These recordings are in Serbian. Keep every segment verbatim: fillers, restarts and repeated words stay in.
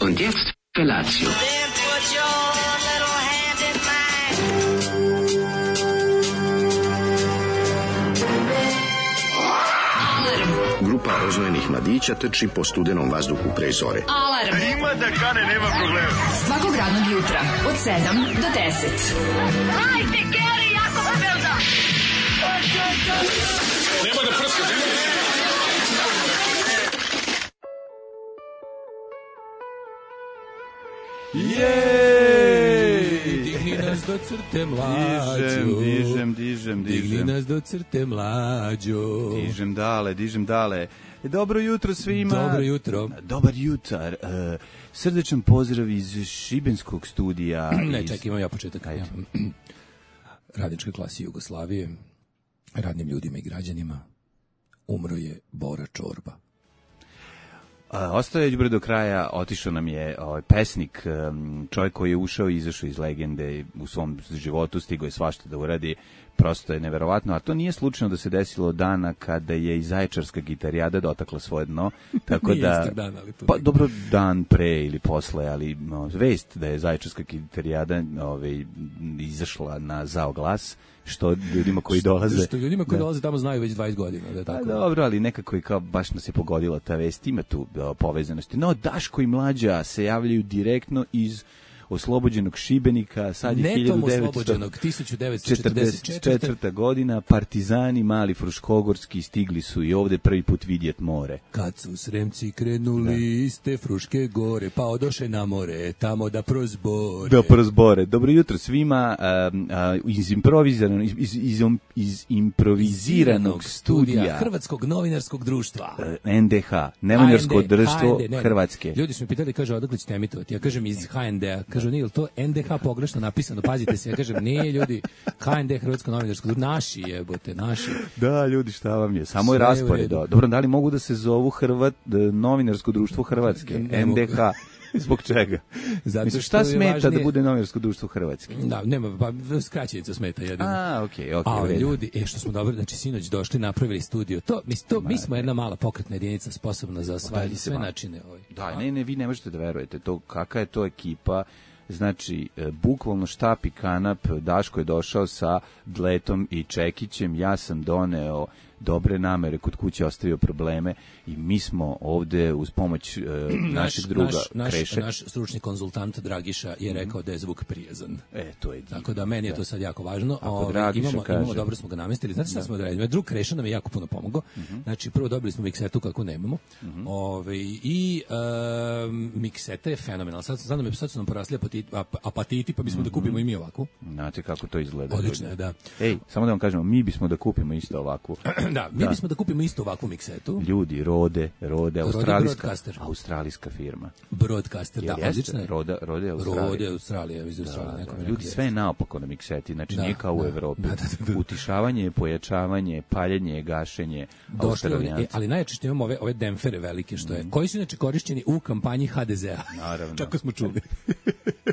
Und jetzt Felatio. Grupa rozvojenih mladića trči po studenom vazduhu pre zore. Alarm! Ima da kane, nema problema. Svakog radnog jutra, od sedam do deset. Hajde, Geri, jako se velda! Nema da prska, nema da prska. Jej! Digni nas do crte mlađo. Dižem, dižem, dižem. Digni nas do crte mlađo. Dižem dale, dižem dale. Dobro jutro svima. Dobro jutro. Dobar jutar. Uh, srdečan pozdrav iz šibenskog studija. Ne, iz... čekaj, imam ja početak. Ja. Radničke klase Jugoslavije, radnim ljudima i građanima, umro je Bora Čorba. Uh, ostao je đubre do kraja, otišao nam je ovaj pesnik, um, čovjek koji je ušao i izašao iz legende u svom životu, stigao je svašta da uradi, prosto je neverovatno, a to nije slučajno da se desilo dana kada je i Zaječarska gitarijada dotakla svoje dno, tako da dan, ali to pa dobro dan pre ili posle, ali no, vest da je Zaječarska gitarijada ovaj izašla na zao glas, što ljudima koji dolaze što ljudima koji da. dolaze tamo znaju već dvadeset godina, da je tako. A, dobro, ali nekako je kao baš nas je pogodila ta vest, ima tu o, povezanosti. No, Daško i Mlađa se javljaju direktno iz oslobođenog Šibenika, sad je Netom oslobođenog, tisuću devetsto četrdeset četvrte godina, partizani mali fruškogorski stigli su i ovde prvi put vidjet more. Kad su Sremci krenuli da. iz te Fruške gore, pa odoše na more, tamo da prozbore. Da prozbore. Dobro jutro svima, a, a, iz, improviziranog, iz, iz, iz, iz improviziranog studija Hrvatskog novinarskog društva. N D H, novinarsko društvo Hrvatske. Ljudi su mi pitali, kaže, odakle ćete emitovati? Ja kažem iz H N D-a. Kažu, nije li to N D H pogrešno napisano, pazite se, ja kažem, nije ljudi, H N D, Hrvatsko novinarsko društvo, naši jebote, naši. Da, ljudi, šta vam je, samo je raspored. Dobro, da li mogu da se zovu Hrvat, novinarsko društvo Hrvatske, ne N D H, zbog čega? Zato Mislim, šta smeta važnije... da bude novinarsko društvo Hrvatske? Da, nema, pa skraćenica smeta jedino. A, okej, okay, okej. Okay, a ljudi, e, što smo dobro, znači, sinoć došli, napravili studio, to, mi, to, mi smo jedna mala pokretna jedinica sposobna za sve, sve načine. Ovaj. Da, ne, ne, vi ne možete da verujete, to, kakva je to ekipa. Znači, e, bukvalno štap i kanap, Daško je došao sa Dletom i Čekićem, ja sam doneo dobre namere, kod kuće ostavio probleme i mi smo ovde uz pomoć e, našeg druga naš, Kreše. Naš, naš stručni konzultant Dragiša je rekao mm. da je zvuk prijazan. E, to je divno. Tako da meni je to sad jako važno. Ove, imamo, kaže, imamo, dobro smo ga namestili. Znate šta da. smo odradili? Drug Kreša nam je jako puno pomogao. Mm-hmm. Znači, prvo dobili smo miksetu kako nemamo. Mm-hmm. Ove, I um, mikseta je fenomenalna. Sad, sad, nam, sad su nam porasli apatiti, ap, apatiti pa bismo mm-hmm. da kupimo i mi ovakvu. Znate kako to izgleda. Odlično je, da. Ej, samo da vam kažemo, mi bismo da kupimo isto ovakvu. Da, mi da. bismo da kupimo isto ovakvu miksetu. Ljudi, Rode, Rode, australijska, australijska firma. Broadcaster, da, odlično je. Rode, Rode, Australija. Rode, Australija, iz Australije. Da, da, ljudi, sve je naopako na mikseti, znači da, nije kao da, u Evropi. Da, da, da, da. Utišavanje, pojačavanje, paljenje, gašenje, Australijanci. E, ali najjače što imamo ove, ove demfere velike, što je, mm. koji su inače korišćeni u kampanji H D Z-a. Naravno. Čako smo čuli.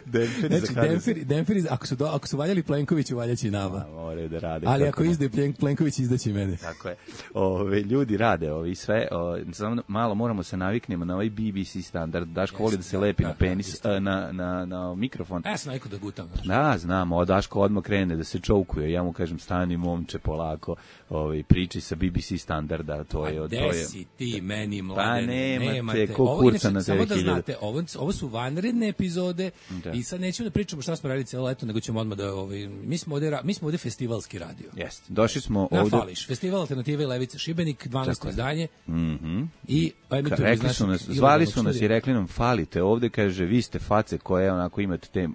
Demferi znači, za demferi, demferi, ako su, do, ako su valjali Plenkoviću, valjaći i nama. Moraju da rade. Ali ako izde Plenković, izdaće mene. Tako je. Ove, ljudi rade ovi sve, o, samo malo moramo se naviknemo na ovaj B B C standard. Daško yes, voli da se lepi da, na penis, da, na, na, na mikrofon. Ja sam najko da gutam. Znači. Da, znamo, o Daško odmah krene da se čoukuje. Ja mu kažem, stani momče polako, ovaj, priči sa B B C standarda. To je, to je, si ti meni mladen? Pa nemate, nemate. ko kurca na samo da znate, ovo, ovo su vanredne epizode da. I sad nećemo da pričamo šta smo radili cijelo leto, nego ćemo odmah da, ovaj, mi smo ovde, mi smo ovde festivalski radio. Jeste, došli smo na ovde. Fališ, festival Alternative i Levice Šibenik, dvanaesto izdanje. Mhm. I rekli su nas, zvali su nas i rekli nam falite ovde, kaže vi ste face koje onako imate te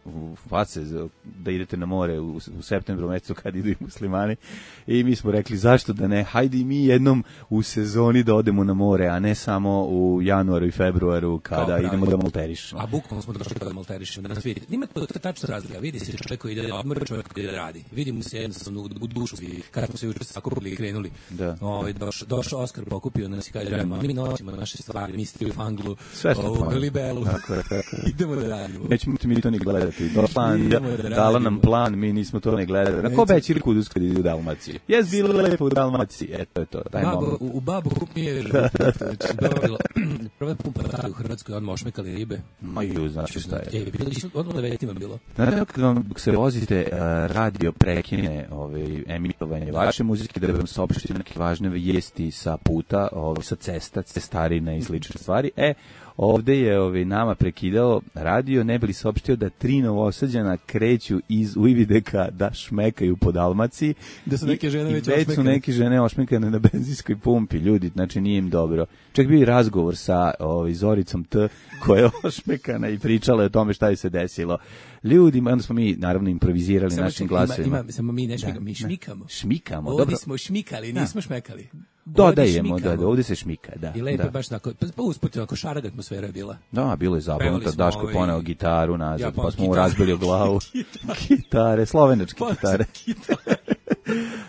face da idete na more u, u septembru mesecu kad idu i muslimani i mi smo rekli zašto da ne, hajde i mi jednom u sezoni da odemo na more, a ne samo u januaru i februaru kada idemo da malterišemo. A bukvalno smo došli da malterišemo, da nas vidite. Ima to, to tačno razlika. Vidi se čovjek koji ide da odmora, čovjek koji ide da radi. Vidimo se jednostavno u, u dušu svi. Kada smo se juče sakupili i krenuli. Da. Ovaj došao doš Oskar, pokupio nas i kaže, mi nosimo naše stvari, mi ste u Fanglu, u Libelu. Idemo da radimo. Nećemo mi to ni gledati. Plan, da, dala nam plan, mi nismo to ne gledali. Na ko beći Kudus kad ide u Dalmaciji? Jes bilo lepo u Dalmaciji. Eto je to. Taj Babo, u, u babu kup mi je dobro. Prva pumpa u Hrvatskoj, odmah ošmekali ribe. Ma ju, znači šta je. E, bilo je odmah devetima bilo. Znate, kad vam se vozite, uh, radio prekine ovaj, emitovanje vaše muzike, da vam saopštite neke važne vijesti sa puta, ovaj, sa cesta, cestarine i slične stvari. E, ovde je ovaj, nama prekidao radio, ne bi li saopštio da tri Novosađana kreću iz Uvideka da šmekaju po Dalmaciji. Da su neke žene I, već i već su neke žene ošmekane na benzinskoj pumpi, ljudi, znači nije im dobro. Čak bio i razgovor sa ovaj, Zoricom T, koja je ošmekana i pričala o tome šta je se desilo. Ljudima, onda smo mi naravno improvizirali samo našim glasovima. Ima, ima, samo mi ne šmikamo, mi šmikamo. Šmikamo, ovdje dobro. smo šmikali, nismo šmekali. Dodajemo, da, da, ovdje se šmika, da. I lepo da. baš tako, pa usput onako šaraga atmosfera je bila. Da, bilo je zabavno, Daško ovaj... poneo gitaru nazad, ja, pa smo mu razbili o glavu. Gitare, slovenačke gitare.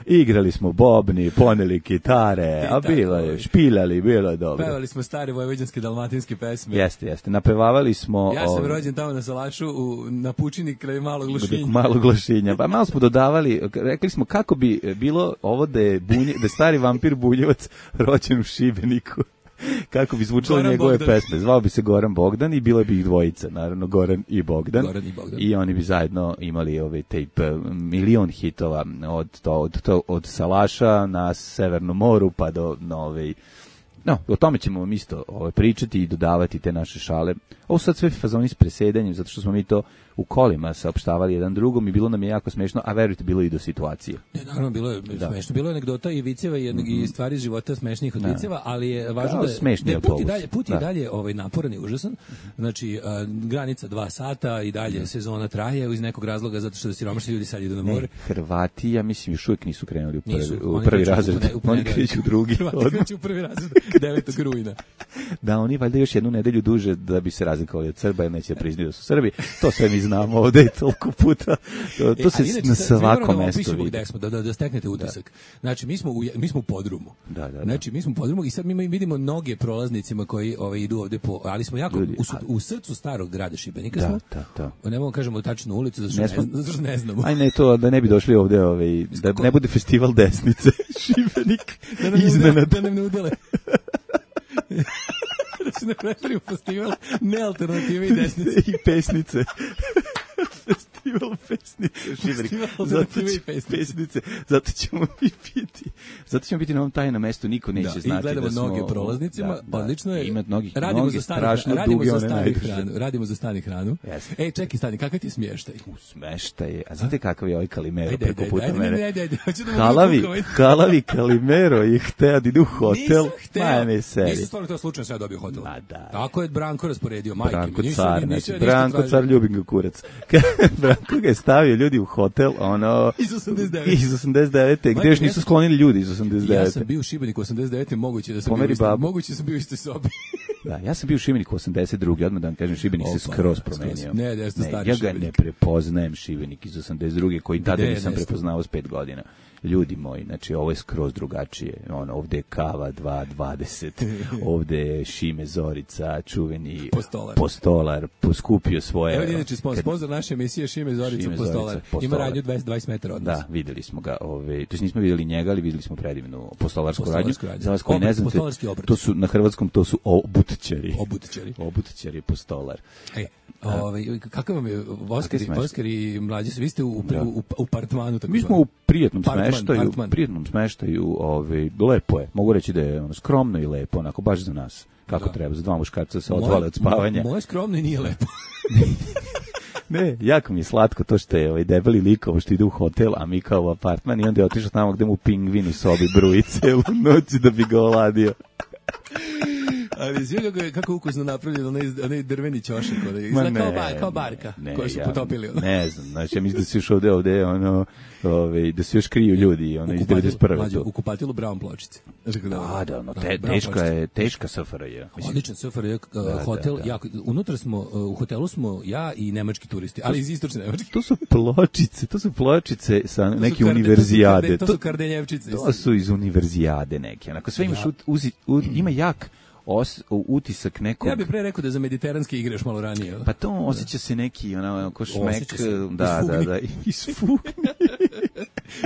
Igrali smo bobni, poneli gitare, a bilo je, špiljali, bilo je dobro. Pevali smo stare vojvođanske dalmatinske pesme. Jeste, jeste, napevavali smo... Ja sam rođen tamo na Salašu, u, na Pučini, kraj Malog Lošinja. Malog Lošinja, pa malo smo dodavali, rekli smo kako bi bilo ovo da je, bunje, da je stari vampir Buljevac rođen u Šibeniku. Kako bi zvučale Goran njegove Bogdan. pesme. Zvao bi se Goran Bogdan i bilo bi ih dvojica, naravno Goran i Bogdan. Goran i Bogdan. I oni bi zajedno imali ovaj tape milion hitova od to od to od Salaša na Severnom moru pa do nove. No, o tome ćemo vam isto ovaj, pričati i dodavati te naše šale. Ovo sad sve fazoni s presedanjem, zato što smo mi to u kolima saopštavali jedan drugom i bilo nam je jako smešno, a verujte, bilo i do situacije. Ne, naravno, bilo je da. smešno. Bilo je anegdota i viceva i, mm-hmm. i stvari iz života smešnih od da. viceva, ali je važno da, da je put i dalje, put da. i dalje ovaj, naporan i užasan. Znači, a, granica dva sata i dalje da. sezona traje iz nekog razloga, zato što da siromašni ljudi sad idu na more. Ne, Hrvati, ja mislim, još uvijek nisu krenuli u prvi, nisu, u prvi razred. U, u, oni kreću u drugi. Hrvati kreću u prvi razred, devetog rujna. Da, oni valjda još jednu nedelju duže da bi se razlikovali od Srba, jer neće priznati da su Srbi. To sve mi znamo ovde i toliko puta. To, to e, se inače, na svakom mestu vidi. Da, da, da steknete utisak. Da. Znači, mi smo u, mi smo u podrumu. Da, da, da. Znači, mi smo u podrumu i sad mi vidimo noge prolaznicima koji ovaj, idu ovde po... Ali smo jako ljudi, u, u srcu starog grada Šibenika da, smo. Da, da. Ne mogu kažemo tačnu ulicu, zato što ne, smo, ne, zato što ne znamo. Aj ne to, da ne bi došli ovde, ovaj, da ne bude festival desnice. Šibenik. Da nam iznenad. Da nam ne udele. Da se ne pretvorimo festival nealternative i desnice. I pesnice. Festival pesnice. Festival alternative i pesnice. pesnice. Zato ćemo mi biti. Zato ćemo biti na ovom tajnom mestu. Niko neće da, znati da smo... I gledamo da noge prolaznicima. Da, odlično da. je. Ima nogi, radimo noge za stani, strašno radimo duge. Za stani hranu, radimo za stani hranu. Yes. Ej, čekaj stani, kakav ti je smještaj? U smještaj. A znate kakav je ovaj Kalimero preko puta ajde, mene? Ajde, ajde, ajde. Halavi, halavi Kalimero je hteo da ide u hotel. Nisam hteo. Nisam stvarno to slučajno sve dobio hotel. Ma da. Tako je Branko rasporedio, majke. Branko car, znači, Branko car, ljubim ga kurac. Branko ga je stavio ljudi u hotel, ono... Iz osamdeset devete. Iz osamdeset devete, gde još nisu sklonili ljudi iz osamdeset devete. Ja sam bio u Šibeniku osamdeset devete, moguće da sam Pomeri bio isti, babu. moguće da sam bio u istoj sobi. Da, ja sam bio u Šibeniku osamdeset druge, odmah da vam kažem, Šibenik se skroz promenio. Ne, ne, ne, ja ga ne prepoznajem Šibenik iz osamdeset druge, koji tada nisam prepoznao s pet godina. Ljudi moji, znači ovo je skroz drugačije. Ono, ovde je kava dva dvadeset, ovde je Šime Zorica, čuveni Postolar, postolar poskupio svoje... Evo inače, sponsor naše emisije Šime Zorica, Šime Postolar. Zorica, Postolar. Ima radnju dvadeset metara od nas. Da, videli smo ga. Ove, to jest nismo videli njega, ali videli smo predivnu postolarsku radnju. Za vas koji ne znate, to su, na hrvatskom to su obutčari. Obutčari. Obutčari postolar. Ej, ovaj kakav vam je Oskari, Oskari mlađi su, vi ste u, u, u, u apartmanu, tako. Mi smo u prijetnom smeštaju, prijetnom smeštaju, ovaj lepo je. Mogu reći da je ono skromno i lepo, onako baš za nas. Kako da. Treba, za dva muškarca se odvale od spavanja. Moje skromno i nije lepo. Ne, jako mi je slatko to što je ovaj debeli likovo što ide u hotel, a mi kao u apartman i onda je otišao tamo gde mu pingvin u sobi bruji celu noć da bi ga oladio. Ali sve kako je kako ukusno napravljeno onaj onaj drveni ćošak, onaj kao bar, kao barka ne, koju su ja, potopili. Ono. Ne znam, znači ja mislim da se još ovde ovde ono, ovaj da se još kriju ljudi, ono iz devedeset prve. Mlađe, u kupatilu Brown pločice. Da, da, no, te, teška je, teška S F R J. Odličan S F R J hotel, jako unutra smo u hotelu smo ja i nemački turisti, ali iz istočne Nemačke. To su pločice, to su pločice sa neke univerzijade. To su kardenjevčice. To su iz univerzijade neke. Onako sve imaš uzi, u, ima jak os, utisak nekog. Ja bih pre rekao da za mediteranske igre još malo ranije. Pa to osjeća se neki ona ko šmek, da, da, da, iz fugni.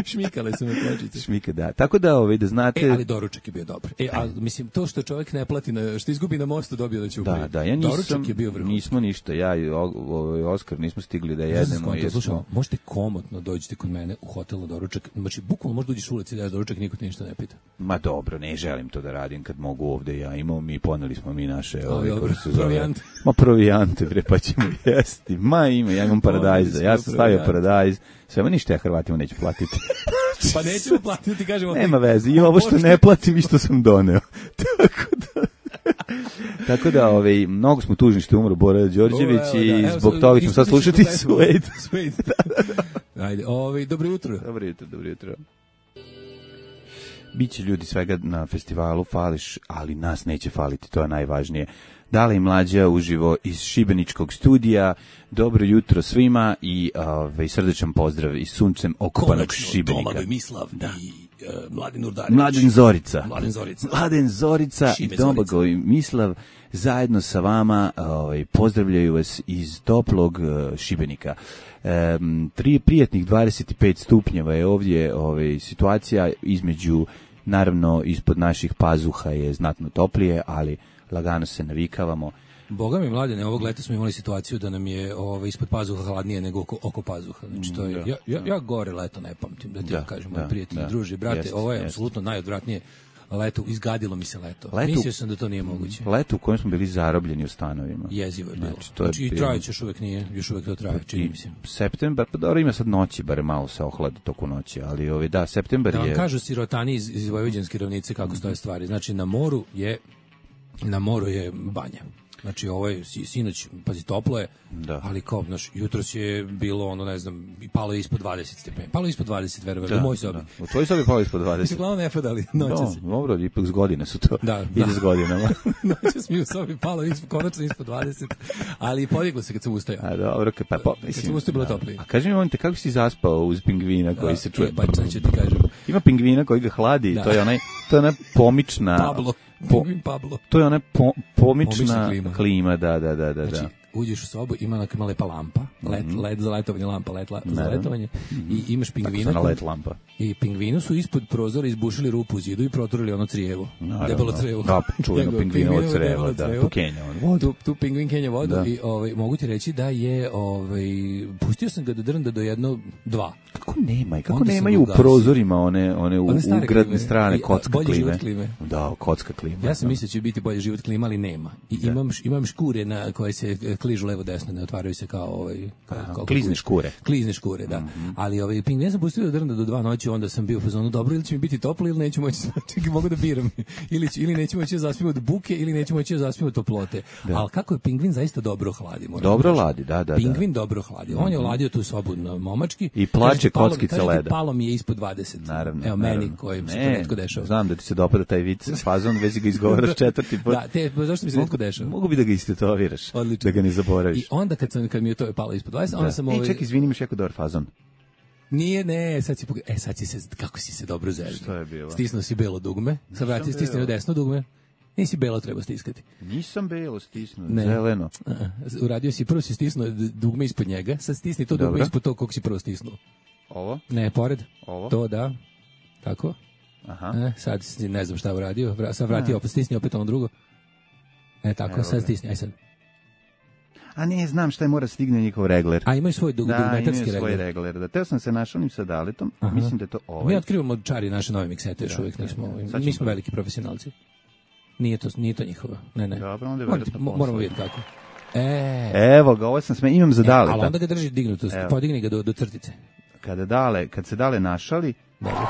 Šmikale su me pločice. Šmike, da. Tako da, ovaj, da znate... E, ali doručak je bio dobar. E, a mislim, to što čovjek ne plati, na, što izgubi na mostu, dobio da će uprije. Da, da, ja nisam, doručak je bio vrhunac. Nismo ništa, ja i ovaj Oskar nismo stigli da jedemo. Ja slušaj, možete komotno dođete kod mene u hotel na doručak. Znači, bukvalno možda uđeš u ulici da je doručak, niko te ništa ne pita. Ma dobro, ne želim to da radim kad mogu ovde. Ja imamo, mi poneli smo mi naše... Ovaj, dobro, provijante. Ma provijante, bre, pa ćemo jesti. Ma ima, ja imam paradajza, ja sam stavio paradajz. Sve, ništa ja Hrvatima neću platiti. Pa nećemo platiti, ti kažemo... Nema veze, i ovo što ne platim i što sam doneo. Tako da... Tako da, ovaj, mnogo smo tužni što je umro Bora Đorđević o, i da, zbog toga ćemo sad slušati Suede. Ajde, ovaj, dobro jutro. Dobro jutro, dobro jutro. Biće ljudi svega na festivalu, fališ, ali nas neće faliti, to je najvažnije. Dale i Mlađa uživo iz Šibeničkog studija. Dobro jutro svima i ovaj srdečan pozdrav iz suncem okupanog Šibenika. Domagoj Mislav da. i uh, Mladen Urdarević. Mladen Zorica. Mladen Zorica. Mladen Zorica i Domagoj Mislav zajedno sa vama ovaj, pozdravljaju vas iz toplog uh, Šibenika. Um, tri prijatnih dvadeset pet stupnjeva je ovdje ovaj, situacija između, naravno ispod naših pazuha je znatno toplije, ali lagano se navikavamo. Boga mi, Mladene, ovog leta smo imali situaciju da nam je ovo, ispod pazuha hladnije nego oko, oko pazuha. Znači, to je, ja, ja, ja gore leto ne pamtim, da ti da, kažem, da, prijatelji, da, druži, brate, jest, ovo je jest. Apsolutno najodvratnije leto, izgadilo mi se leto. leto. Mislio sam da to nije moguće. Leto u kojem smo bili zarobljeni u stanovima. Jezivo je bilo. Znači, to znači, je i trajeće još uvek nije, još uvek to traje, čini mi se. Septembar, pa dobro, ima sad noći, bare malo se ohlada toku noći, ali ovi, da, septembar da je... Da vam kažu sirotani iz, iz Vojvođanske ravnice kako stoje stvari. Znači, na moru je, na moru je banja. Znači, ovo je sinoć, pazi, toplo je, da. Ali kao, znaš, jutros je bilo, ono, ne znam, palo je ispod dvadeset stepeni. Palo je ispod dvadeset, verovatno, u mojoj sobi. Da. U tvojoj sobi palo je ispod dvadeset. Uglavnom ne padali, noćas. No, dobro, ipak s godine su to. Da, ide da. S godinama. Noćas mi u sobi palo ispod, konačno ispod dvadeset, ali podiglo se kad sam ustajao. A dobro, pa, pa, mislim, kad sam ustajao bilo toplije. A kaži mi, on te, kako si zaspao uz pingvina koji da, se čuje? Pa, sad ću ti kažem. Ima pingvina koji ga hladi, da. to je onaj, to je ona pomična... Pablo. Po, Pablo. To je ona po, pomična klima. klima, da, da, da, da. Znači, uđeš u sobu, ima neka lepa lampa, led, mm -hmm. led za letovanje, lampa led la, za letovanje, mm -hmm. i imaš pingvina. Tako led lampa. I pingvinu su ispod prozora izbušili rupu u zidu i proturili ono crijevo. Debelo crijevo. Da, čujemo pingvinovo crijevo, da, tu kenja vodu. Tu, tu pingvin kenja vodu da. I ovaj, mogu ti reći da je, ovaj, pustio sam ga da drnda do jedno, dva. Kako nema, kako nemaju u prozorima one, one, one ugradne strane i, kocka bolji klime. Život klime. Da, kocka klima. Ja sam mislio da će biti bolji život klima, ali nema. I da. imam, imam škure na koje se kližu levo desno, ne otvaraju se kao ovaj kao, kao klizne škure. Klizne škure, da. Mm -hmm. Ali ovaj ping ne sam pustio da drnda do dva noći, onda sam bio u fazonu dobro, ili će mi biti toplo ili neću moći, znači mogu da biram. ili ili neću moći da zaspim od buke ili neću moći da zaspim od toplote. Da. Al kako je pingvin zaista dobro hladi, moram. Dobro hladi, da, da. Pingvin da. dobro hladi. On je hladio tu sobu na momački i plače kockice leda. Palo mi je ispod dvadeset. Naravno. Evo naravno. meni kojim se to netko dešava. Znam da ti se dopada taj vic, fazon, već ga izgovaraš četvrti put. Da, te, zašto mi se netko dešava? Mogu bi da ga istetoviraš, da ga ne zaboraviš. I onda kad sam kad mi je to palo ispod dvadeset, onda sam ovaj... E, ček, izvini, imaš jako dobar fazon. Nije, ne, sad si pog... E, sad si se, kako si se dobro zeznuo. Što je bilo? Stisnuo si belo dugme, sad vrati, stisnuo desno dugme. Nisi belo treba stiskati. Nisam belo stisnuo, zeleno. Uh, uradio si, prvo si stisnuo dugme ispod njega, sad stisni to dugme ispod tog kog si prvo stisnuo. Ovo? Ne, pored. Ovo? To, da. Tako. Aha. E, sad ne znam šta uradio, sad vrati opet, stisni opet ono drugo. E, tako, evo sad stisni, aj sad. A ne, znam šta je mora stigne njihov regler. A imaju svoj dug, da, dugmetarski regler. Da, imaju svoj regler. Da, teo sam se našao sa Daletom, aha. Mislim da je to ovaj. Mi otkrivamo čari naše nove miksete, još uvijek nismo, da, mi smo veliki profesionalci. Nije to, nije to njihova, ne, ne. Dobro, onda je Moramo, moramo vidjeti kako. E, evo ga, ovo sam sme, imam za Daleta. E, ali onda ga drži dignuto, podigni ga do, do crtice. Kada dale, kad se Dale našali, dobro.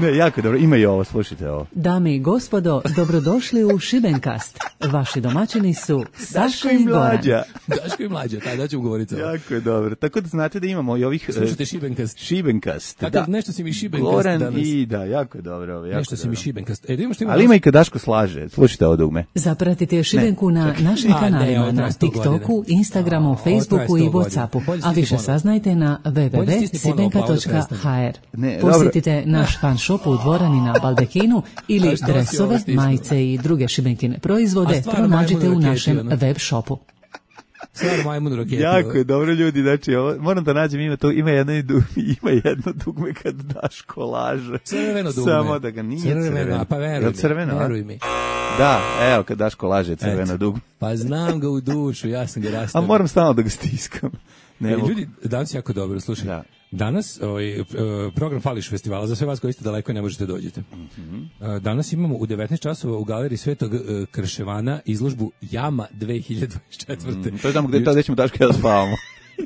Ne, jako dobro, ima i ovo, slušajte ovo. Dame i gospodo, dobrodošli u Šibenkast. Vaši domaćini su Saša i Goran. Mlađa. Daško i Mlađa, taj da ću govoriti. Jako je dobro. Tako da znate da imamo i ovih... Slušajte Šibenkast. Šibenkast, Takav, da. nešto si mi Šibenkast Goran danas. i da, jako je dobro. Ovo, jako Nešto si mi dobro. Šibenkast. E, da imamo što ima Ali ima i kad Daško slaže. Slušajte ovo dugme. Zapratite Šibenku na našim A, ne, kanalima ovo na traje sto TikToku, godina. Instagramu, A, ovo traje Facebooku i sto godina. Whatsappu, Bolje a stisni više ponovo. saznajte na w w w Bolje tačka stisni ponovo, sibenka Pavle, tačka prestani. h r. Ne, dobro. Posjetite naš fan shop u dvorani na Baldekinu ili A što si ovo dresove, stisnuo? majice i druge šibenkine A proizvode stvarno pronađite majmun u raketi, našem ono. web shopu. Stvarno majmun raketi. Jako je dobro, ljudi, znači, ovo, moram da nađem, ima, to, ima, jedno, i du- ima jedno dugme kad Daško laže. Crveno dugme. Samo da ga nije crveno. Crveno, pa veruj Jel mi, crveno, a? veruj mi. Da, evo, kad Daško laže, crveno Eto. dugme. Pa znam ga u dušu, ja sam ga A rastavio. moram stalno da ga stiskam. Ne E, mogu. ljudi, danas je jako dobro, slušaj. Da. Danas ovaj, e, program Fališ festivala, za sve vas koji ste daleko i ne možete dođete. E, Danas imamo u devetnaest časova u galeriji Svetog e, Krševana izložbu Jama dve hiljade dvadeset četvrte. Mm, to je tamo gde, gde ćemo Daško i ja spavamo.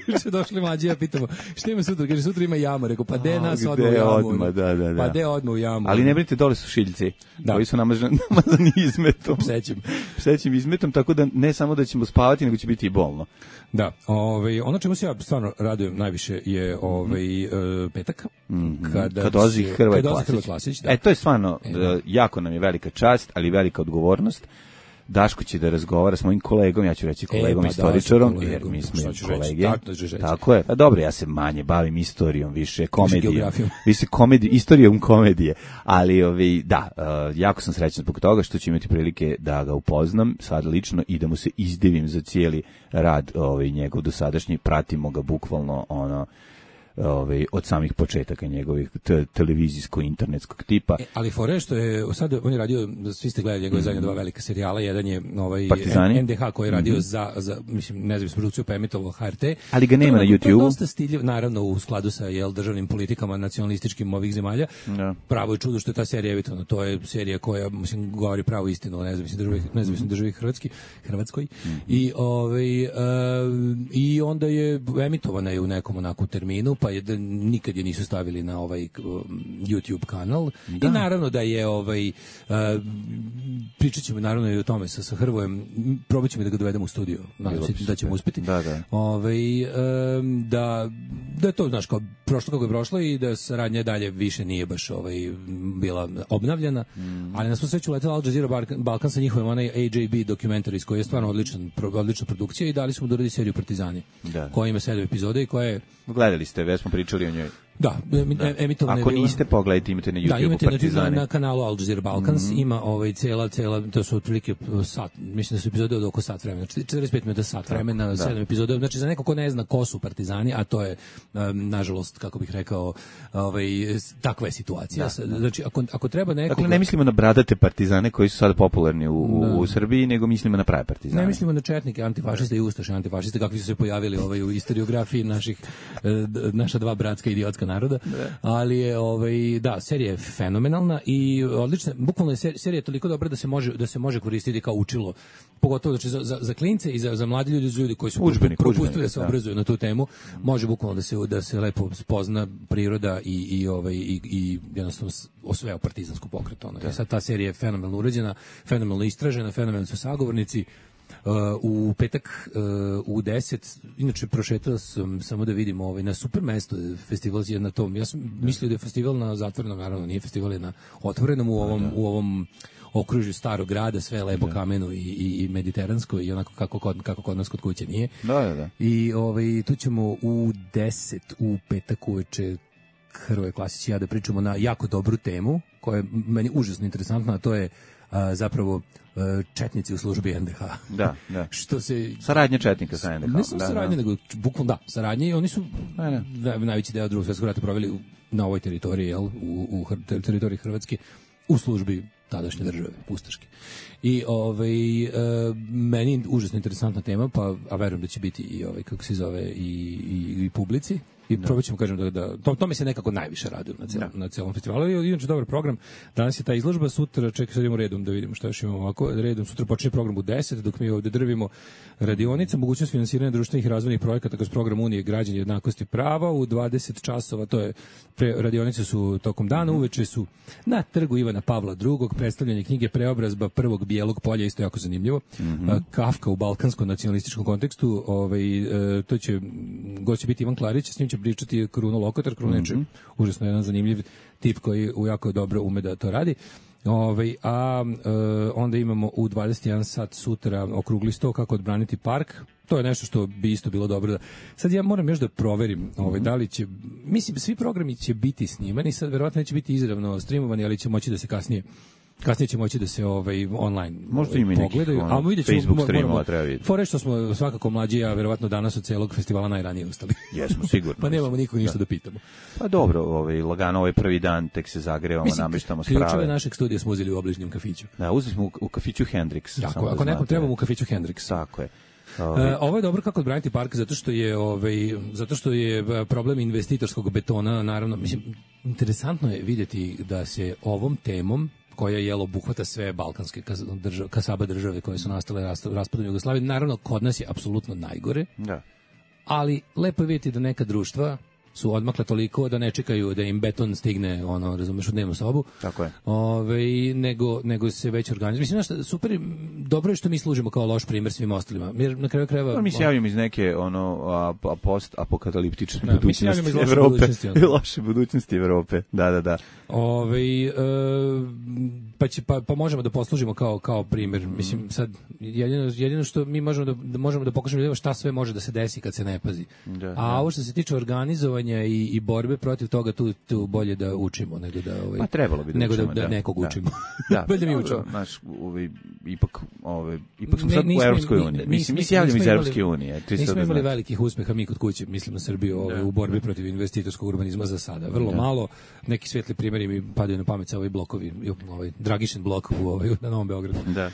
Juče došli mlađi, ja pitamo, šta ima sutra? Kaže, sutra ima jama. Rekao, pa de A, nas gde odmah u jamu? odmah, da, da, da. Pa de odmah u jamu? Ali ne brinite, dole su šiljci, Da. koji su namazani, namazani izmetom. Psećem. Psećim izmetom, tako da ne samo da ćemo spavati, nego će biti i bolno. Da, ovaj, ono čemu se ja stvarno radujem najviše je ovaj, e, petak. Kada Kad dolazi će- Hrvoje kad dolazi Klasić. Hrvoje Klasić, da. E, to je stvarno, E, da. e, jako nam je velika čast, ali velika odgovornost. Daško će da razgovara s mojim kolegom, ja ću reći kolegom pa da, istoričarom, sa kolegom, jer mi smo šta ću kolege. reći, tako da ću reći. Tako je. Pa dobro, ja se manje bavim istorijom, više komedijom. geografijom. Više komedij, istorijom komedije. Ali ovi, da, e, jako sam srećan zbog toga što ću imati prilike da ga upoznam sad lično i da mu se izdivim za cijeli rad ovaj njegov dosadašnji, pratimo ga bukvalno ono ovaj od samih početaka njegovih te, televizijsko-internetskog tipa. E, ali fore što je sad on je radio, svi ste gledali njegove zadnje dva velika serijala, jedan je ovaj Partizani. N D H koji je radio za, za mislim nezavisnu produkciju pa emitovao H R T. Ali ga nema To je na onako- to je YouTubeu. dosta stiljiv, naravno u skladu sa jel državnim politikama nacionalističkim ovih zemalja. Da. Pravo je čudo što je ta serija emitovana. To je serija koja mislim govori pravu istinu o nezavisnoj državi, nezavisnoj državi Hrvatski, Hrvatskoj. I ovaj e, i onda je emitovana je u nekom onako terminu, pa je da nikad je nisu stavili na ovaj um, YouTube kanal. I naravno da je ovaj uh, pričat ćemo naravno i o tome sa, sa Hrvojem, probat ćemo da ga dovedemo u studio, nadam Bilo se bi da ćemo super. uspeti. Da, da. Ovaj, um, da, da je to, znaš, kao prošlo kako je prošlo i da saradnja dalje više nije baš ovaj, bila obnavljana, ali na svu sreću letela Al Jazeera Balkan, Balkan sa njihovim onaj A J B Documentaries koji je stvarno odličan, pro- odlična produkcija i dali smo da uradi seriju Partizani, Da. koja ima sedam epizode i koja je Gledali ste, već smo pričali o njoj. da, em- emitovana je Ako bila- niste, pogledajte, imate na da, YouTubeu imate na, na, Partizane. na kanalu Al Jazeera Balkans, ima ovaj cela, cela, to su otprilike sat, mislim da su epizode od oko sat vremena, četrdeset pet minuta sat vremena, sedam epizoda, znači za neko ko ne zna ko su Partizani, a to je, um, nažalost, kako bih rekao, ovaj, s- takva je situacija. Znači, ako, ako treba neko... Dakle, ne mislimo na bradate partizane koji su sada popularni u, u, u Srbiji, nego mislimo na prave partizane. Ne mislimo na četnike, antifašiste i ustaše, antifašiste, kakvi su se pojavili ovaj, u istoriografiji naših, e, d- naša dva bratska idiotska naroda, ali je, ovaj, da, serija je fenomenalna i odlična, bukvalno je ser- serija je toliko dobra da se može, da se može koristiti kao učilo, pogotovo znači, za, za, za klince i za, za mladi ljudi, za ljudi koji su Udžbenik, propustili udžbenik, da se da. obrazuju na tu temu, može bukvalno da se, da se lepo spozna priroda i, i, ovaj, i, i jednostavno s- osveo partizansko pokret. Ono. I sad ta serija je fenomenalno urađena, fenomenalno istražena, fenomenalno su sagovornici. Uh, u petak uh, u deset, inače prošetao sam samo da vidimo ovaj, na super mesto festival je na tom. Ja sam mislio da je festival na zatvorenom, naravno nije festival je na otvorenom u ovom, u ovom okružju starog grada, sve je lepo kameno i, i, i mediteransko i onako kako kod, kako kod nas kod kuće nije. Da, da, da. I ovaj, tu ćemo u deset u petak uveče Hrvoje Klasić i ja da pričamo na jako dobru temu koja je meni užasno interesantna, a to je a, zapravo a, četnici u službi N D H. Da, da. Što se Saradnja četnika sa N D H. ne samo da, saradnje, da. nego bukvalno da, saradnje i oni su Da, da. na- najveći deo drugog svjetskog rata proveli u- na ovoj teritoriji, jel, u, u Hr- ter- teritoriji Hrvatske u službi tadašnje države, ustaške. I ovaj, e, meni užasno interesantna tema, pa, a verujem da će biti i ovaj, kako se zove, i, i, i publici. I probat ćemo, kažem, da, da to, to mi se nekako najviše raduje na celom, na celom festivalu. I inače dobar program. Danas je ta izložba, sutra, čekaj, sad idemo redom da vidimo šta još imamo ovako. Redom sutra počinje program u deset, dok mi ovde drvimo radionica, mogućnost finansiranja društvenih i razvojnih projekata kroz program Unije građana jednakosti prava u dvadeset časova, to je pre, radionice su tokom dana, uveče su na trgu Ivana Pavla drugog, predstavljanje knjige Preobrazba prvog bijelog polja, isto jako zanimljivo. Mm-hmm. Kafka u balkanskom nacionalističkom kontekstu, ovaj, e, to će, gost će biti Ivan Klarić, s njim će pričati Kruno Lokotar. Kruno mm-hmm. je užasno jedan zanimljiv tip koji jako dobro ume da to radi. Ove, a e, onda imamo u dvadeset jedan sat sutra okrugli sto kako odbraniti park. To je nešto što bi isto bilo dobro da... Sad ja moram još da proverim ovaj, da li će... Mislim, svi programi će biti snimani, sad verovatno neće biti izravno streamovani, ali će moći da se kasnije kasnije će moći da se ovaj online možda ima pogledaju, nekih, ono, a mi Facebook streamova treba vidjeti. Fore što smo svakako mlađi, a verovatno danas od celog festivala najranije ustali. Jesmo, sigurno. Pa nemamo nikog ništa da, da pitamo. Pa dobro, ovaj, lagano ovaj prvi dan, tek se zagrevamo, namještamo sprave. Ključeve našeg studija smo uzeli u obližnjem kafiću. Da, uzeli smo u, u kafiću Hendrix. Tako, ako da nekom trebamo u kafiću Hendrix. Tako je. Ovaj. Uh, ovo je dobro kako odbraniti park zato što je ovaj zato što je problem investitorskog betona, naravno, mislim, interesantno je vidjeti da se ovom temom koja je obuhvata sve balkanske države, kasaba države koje su nastale raspadom Jugoslavije. Naravno, kod nas je apsolutno najgore. Da. Ali lepo je vidjeti da neka društva su odmakle toliko da ne čekaju da im beton stigne, ono, razumeš, u dnevnu sobu. Tako je. Ove, nego, nego se već organizuje. Mislim, znaš, super, dobro je što mi služimo kao loš primjer svim ostalima. Jer na kraju krajeva... No, mi se javljamo iz neke, ono, a, post-apokaliptične da, budućnosti Evrope. Budućnosti, loše budućnosti Evrope, da, da, da. Ove, e, pa, će, pa, pa možemo da poslužimo kao, kao primjer. Mislim, sad, jedino, jedino što mi možemo da, da, možemo da pokažemo šta sve može da se desi kad se ne pazi. Da, a da. ovo što se tiče organizovanja I, i borbe protiv toga, tu, tu bolje da učimo nego da ovaj pa trebalo bi da nego učimo, da, da, da nekog da. učimo. Da, bolje da mi učimo. Naš ovaj ipak ovaj ipak smo ne, sad u Evropskoj uniji. Mislim, mi se javljamo iz Evropske unije. Nismo imali velikih uspeha mi kod kuće, mislim na Srbiju, ovaj, u borbi protiv investitorskog urbanizma za sada. Vrlo da. malo, neki svetli primjeri mi padaju na pamet sa ovaj blokovi, ovaj Dragišin blok u ovaj na Novom Beogradu. Da.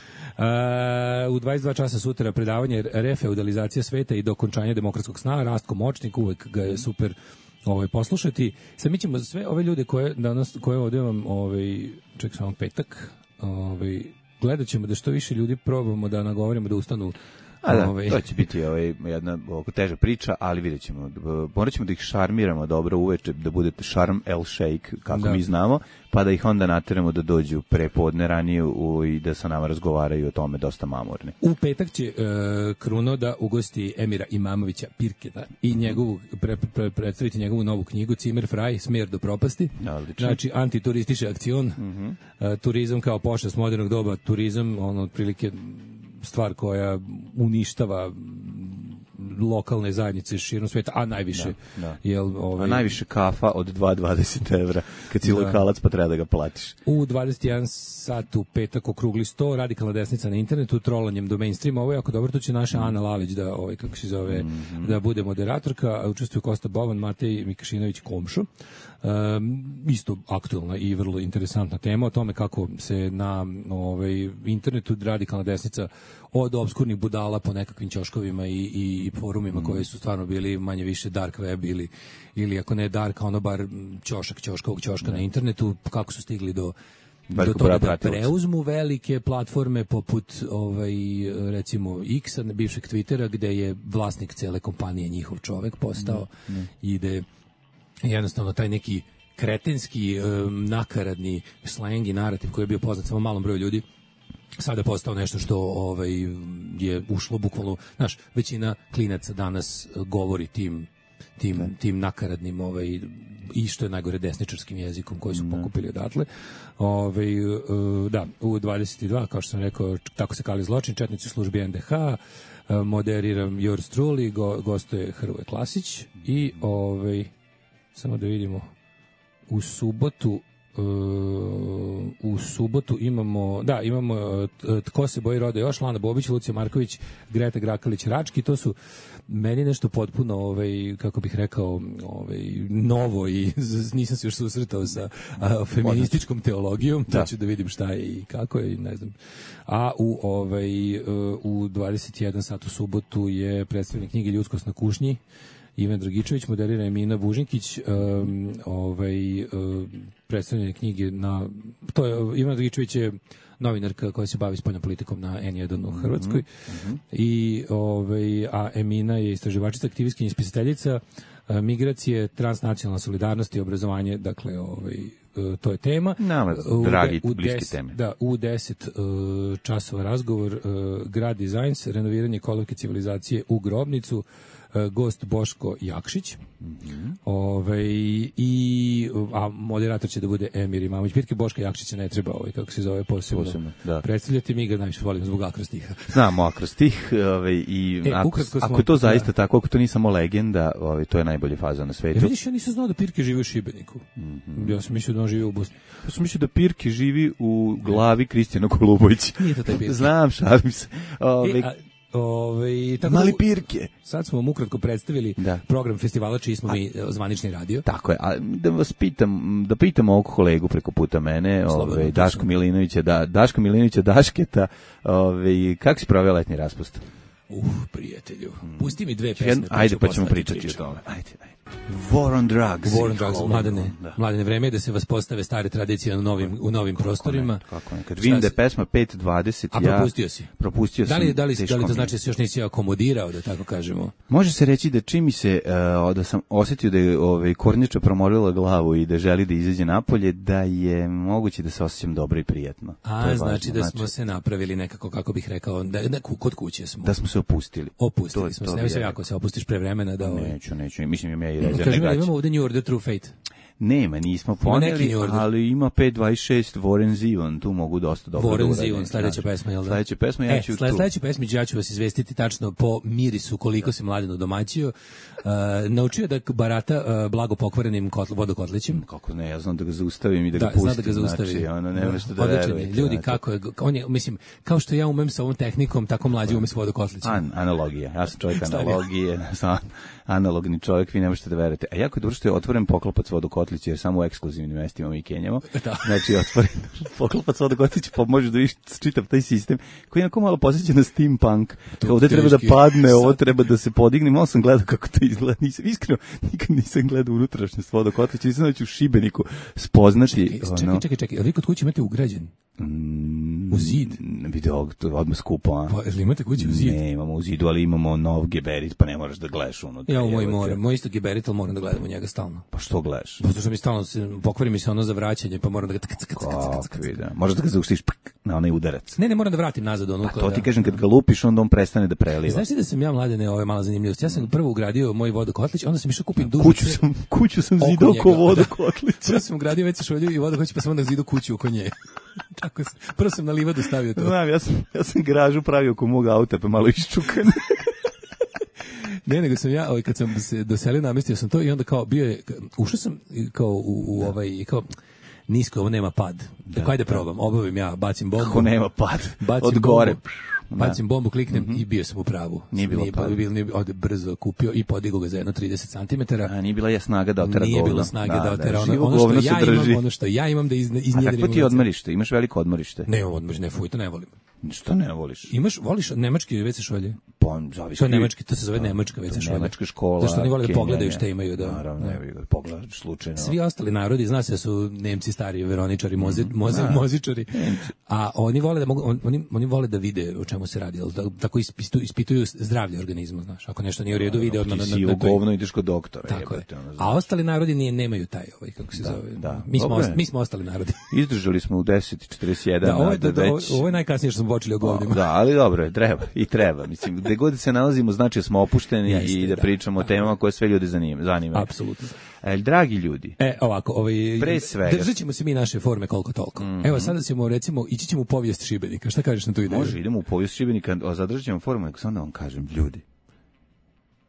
Uh, u dvadeset dva časa sutra predavanje refeudalizacija sveta i dokončanje demokratskog sna, Rastko Močnik, uvek ga je super ovaj poslušati. Sad mi ćemo sve ove ljude koje danas koje ovdje vam ovaj ček samo petak, ovaj gledaćemo da što više ljudi probamo da nagovorimo da ustanu. A da, ovaj. To će biti ovaj, jedna oko teža priča, ali vidjet ćemo. Morat ćemo da ih šarmiramo dobro uveče, da budete šarm el šejk, kako da. mi znamo, pa da ih onda nateramo da dođu prepodne ranije u, i da sa nama razgovaraju o tome dosta mamurni. U petak će uh, Kruno da ugosti Emira Imamovića Pirketa i njegovu, pre, pre, predstaviti njegovu novu knjigu Cimer Fraj, Smjer do propasti. Odlično. Znači, antituristički akcion, mm-hmm. uh, turizam kao pošast modernog doba, turizam, ono, otprilike stvar koja uništava lokalne zajednice širom sveta, a najviše da, da. Jel, ovaj, a najviše kafa od dva dvadeset evra kad si da. lokalac pa treba da ga platiš. U dvadeset jedan sat u petak okrugli sto, radikalna desnica na internetu, trolanjem do mainstreama. Ovo je jako dobro, to će naša mm. Ana Lalić da, ovaj, kako se zove, mm-hmm. da bude moderatorka, učestvuju Kosta Boban, Matej Mikašinović Komšo. Um, isto aktualna i vrlo interesantna tema o tome kako se na ovaj, internetu radikalna desnica od obskurnih budala po nekakvim ćoškovima i, i, i forumima mm. koji su stvarno bili manje više dark web ili, ili ako ne dark, ono bar ćošak ćoškovog ćoška mm. na internetu, kako su stigli do do toga da preuzmu velike platforme poput ovaj recimo X-a, bivšeg Twittera, gde je vlasnik cele kompanije njihov čovek postao mm. Mm. i gde jednostavno taj neki kretenski, um, nakaradni slang i narativ koji je bio poznat samo malom broju ljudi, sada je postao nešto što ovaj, je ušlo bukvalno, znaš, većina klinaca danas govori tim tim, ne. tim nakaradnim ovaj, i što je najgore desničarskim jezikom koji su ne. pokupili odatle. Ovaj, uh, da, u dvadeset dva, kao što sam rekao, tako se kali zločin, četnici službi en de ha, uh, moderiram Yours Truly, go, gostuje Hrvoje Klasić i ovaj samo da vidimo u subotu uh, u subotu imamo da imamo uh, Tko se boji roda još, Lana Bobić, Lucija Marković, Greta Grakalić Rački. To su meni nešto potpuno ovaj kako bih rekao ovaj novo i nisam se još susretao sa a, feminističkom teologijom, da ću da vidim šta je i kako je, ne znam. A u ovaj uh, u dvadeset jedan sat u subotu je predstavljanje knjige Ljudskost na kušnji Ivan Dragičević, moderira Emina Bužinkić, um, ovaj, um, predstavljanje knjige na... To je, Ivan Dragičević je novinarka koja se bavi spoljnom politikom na en jedan u Hrvatskoj. Mm-hmm. I, ovaj, a Emina je istraživačica, aktivistkinja i spisateljica, migracije, transnacionalna solidarnost i obrazovanje, dakle, ovaj, to je tema. Nama, dragi, u, bliski des, teme. Da, u deset uh, časova razgovor, uh, Grad Dizajns, renoviranje kolovke civilizacije u Grobnicu, uh, gost Boško Jakšić, mm-hmm. Ove, i, a moderator će da bude Emir Imamović. Pitke Boška Jakšića ne treba, ovaj, kako se zove, posebno, posebno da. predstavljati. Mi ga najviše volimo zbog akrostiha. Znamo akrostih, ovaj, i e, ako, ako je to zaista da. tako, ako to nije samo legenda, ovaj, to je najbolje faza na svetu. E, vidiš, ja nisam znao da Pirke živi u Šibeniku. Mm-hmm. Ja sam mislio da on živi u Bosni. Ja sam mislio da Pirke živi u glavi Kristijana Golubovića. Nije to taj Pirke. Znam, šalim se. Ove, e, a, ove, tako mali Pirke. Sad smo vam ukratko predstavili da. program festivala čiji smo a, mi zvanični radio. Tako je, a da vas pitam, da pitam ovog kolegu preko puta mene, ove, Daško Milinovića, da, Daško Milinovića Dašketa, ove, kako si proveo letnji raspust? Uh, prijatelju, pusti mi dve pesme. Pa ajde, pa ćemo pričati priča. o tome. Ajde, ajde. War on drugs. War on drugs, mladene. Da. Mladene, vreme je da se vas postave stare tradicije u novim, u novim kako prostorima. Ne, kako ne. Kad vidim da je pesma pet dvadeset, ja... A propustio si? Propustio da li, sam. Da li, da li to znači da se još nisi akomodirao, da tako kažemo? Može se reći da čim mi se, uh, da sam osjetio da je ovaj, kornjača promorila glavu i da želi da izađe napolje, da je moguće da se osjećam dobro i prijatno. A, znači da smo znači... se napravili nekako, kako bih rekao, da, da kod kuće smo. Da smo se opustili. Opustili to, smo to se. Evo se jako se opustiš pre vremena da... Ovaj... Neću, neću. Mislim, ja i rezervne gaće. Imamo ovdje New Order True Fate. Nema, nismo poneli, ali ima pet dvadeset šest Warren Zevon, tu mogu dosta dobro da Warren Zevon, sledeća pesma, jel da? Sledeća pesma, ja ću e, tu. Sledeća pesma, ja ću vas izvestiti tačno po mirisu koliko da. se Mladeno domaćio. Uh, naučio da barata uh, blago pokvarenim kotl, vodokotlićem. Kako ne, ja znam da ga zaustavim i da, da ga pustim. Da, zna da ga zaustavi. Znači, ono, nema što da verujete. Ljudi, kako je, on je, mislim, kao što ja umem sa ovom tehnikom, tako mlađi ume s vodokotlićem. An, analogija, ja sam čovjek analogije, sam analogni čovjek, vi ne možete da verujete. A jako je dobro što je otvoren poklopac vodokotlića, jer samo u ekskluzivnim mestima mi kenjamo. Da. Znači, otvoren poklopac vodokotlića, pa možeš da vidiš čitav taj sistem, koji je onako malo posjeća na steampunk. Ovdje treba da padne, ovo treba da se podigne. Malo sam gledao kako to izgleda. Nisam, iskreno, nikad nisam gledao unutrašnjost vodokotlića. Nisam da ću u Šibeniku spoznati. Čekaj, čekaj, čekaj, čekaj. Ali vi kod kuće imate ugrađen? Mm, u zid? Video, to je odmah skupo, a? Pa, ili imate kuće u zid? Ne, imamo u zidu, ali imamo nov geberit, pa ne moraš da gledaš unutra. Ja u moj moram, moj isto geberit, ali moram da gledam u njega stalno. Pa što gledaš? Zato što mi stalno pokvari mi se ono za vraćanje, pa moram da ga... Kakvi, da. Možeš da ga zauštiš na onaj udarac. Ne, ne, moram da vratim nazad ono. Pa to ti kažem, kad ga lupiš, onda on prestane da preliva. Znaš ti da sam ja, Mladene, ovo je mala zanimljivost. Ja sam prvo ugradio moj vodokotlić, onda sam išao kupim dužu. Kuću sam, kuću sam zidao oko vodokotlića. Prvo sam ugradio već šolju i vodokotlić, pa sam onda zidao kuću oko nje. Tako sam, prvo sam na livadu stavio to. Znam, ja sam, ja sam garažu pravio oko mog auta, pa malo iščukan. Ne, nego sam ja, ovaj, kad sam se doselio, namestio sam to i onda kao bio je, ušao sam kao u, u ovaj, kao, nisko, ovo nema pad. Da, ajde probam, obavim ja, bacim bombu. Kako nema pad? Bacim od gore. Bombu, bacim bombu, kliknem mm-hmm. i bio sam u pravu. Nije bilo nije, pada. Bilo, nije, ovdje brzo kupio i podigao ga za jedno trideset centimetara. A nije bila je snaga da otera govno. Nije bilo snage da, da otera da, ono, ono što ja imam, ono što ja imam da iz, iznjedrim. A kakvo ti je odmorište? Imaš veliko odmorište? Ne imam odmorište, ne fuj, to ne volim. Što ne voliš? Imaš, voliš nemački ve ce šolje? Pa, zavisi. To je nemački, to se zove nemačka ve ce šolja. Nemačka škola. Zašto oni vole da pogledaju šta imaju, da. Naravno, ne, da pogledaš slučajno. Svi ostali narodi, zna se da su Nemci stari veroničari, mozi, mozi, mozičari. A oni vole da mogu, oni oni vole da vide o čemu se radi, da tako ispituju, ispituju zdravlje organizma, znaš. Ako nešto nije u redu, vide odmah na na. Ti si u govno ideš kod doktora, tako je. A ostali narodi nije nemaju taj, ovaj kako se zove. Mi smo mi smo ostali narodi. Izdržali smo u deset četrdeset jedan. Da, ovo je ovo je najkasnije što smo počeli o govnima. Da, ali dobro, treba i treba. Mislim, gde god se nalazimo, znači da smo opušteni Jeste, i da, da pričamo da, o temama koje sve ljude zanima. zanima. Apsolutno. E, dragi ljudi. E, ovako, ovaj, pre svega. Držat ćemo se mi naše forme koliko toliko. Mm-hmm. Evo, sada ćemo, recimo, ići ćemo u povijest Šibenika. Šta kažeš na tu ideju? Može, idemo u povijest Šibenika, zadržat ćemo formu, nego sam da vam kažem, ljudi.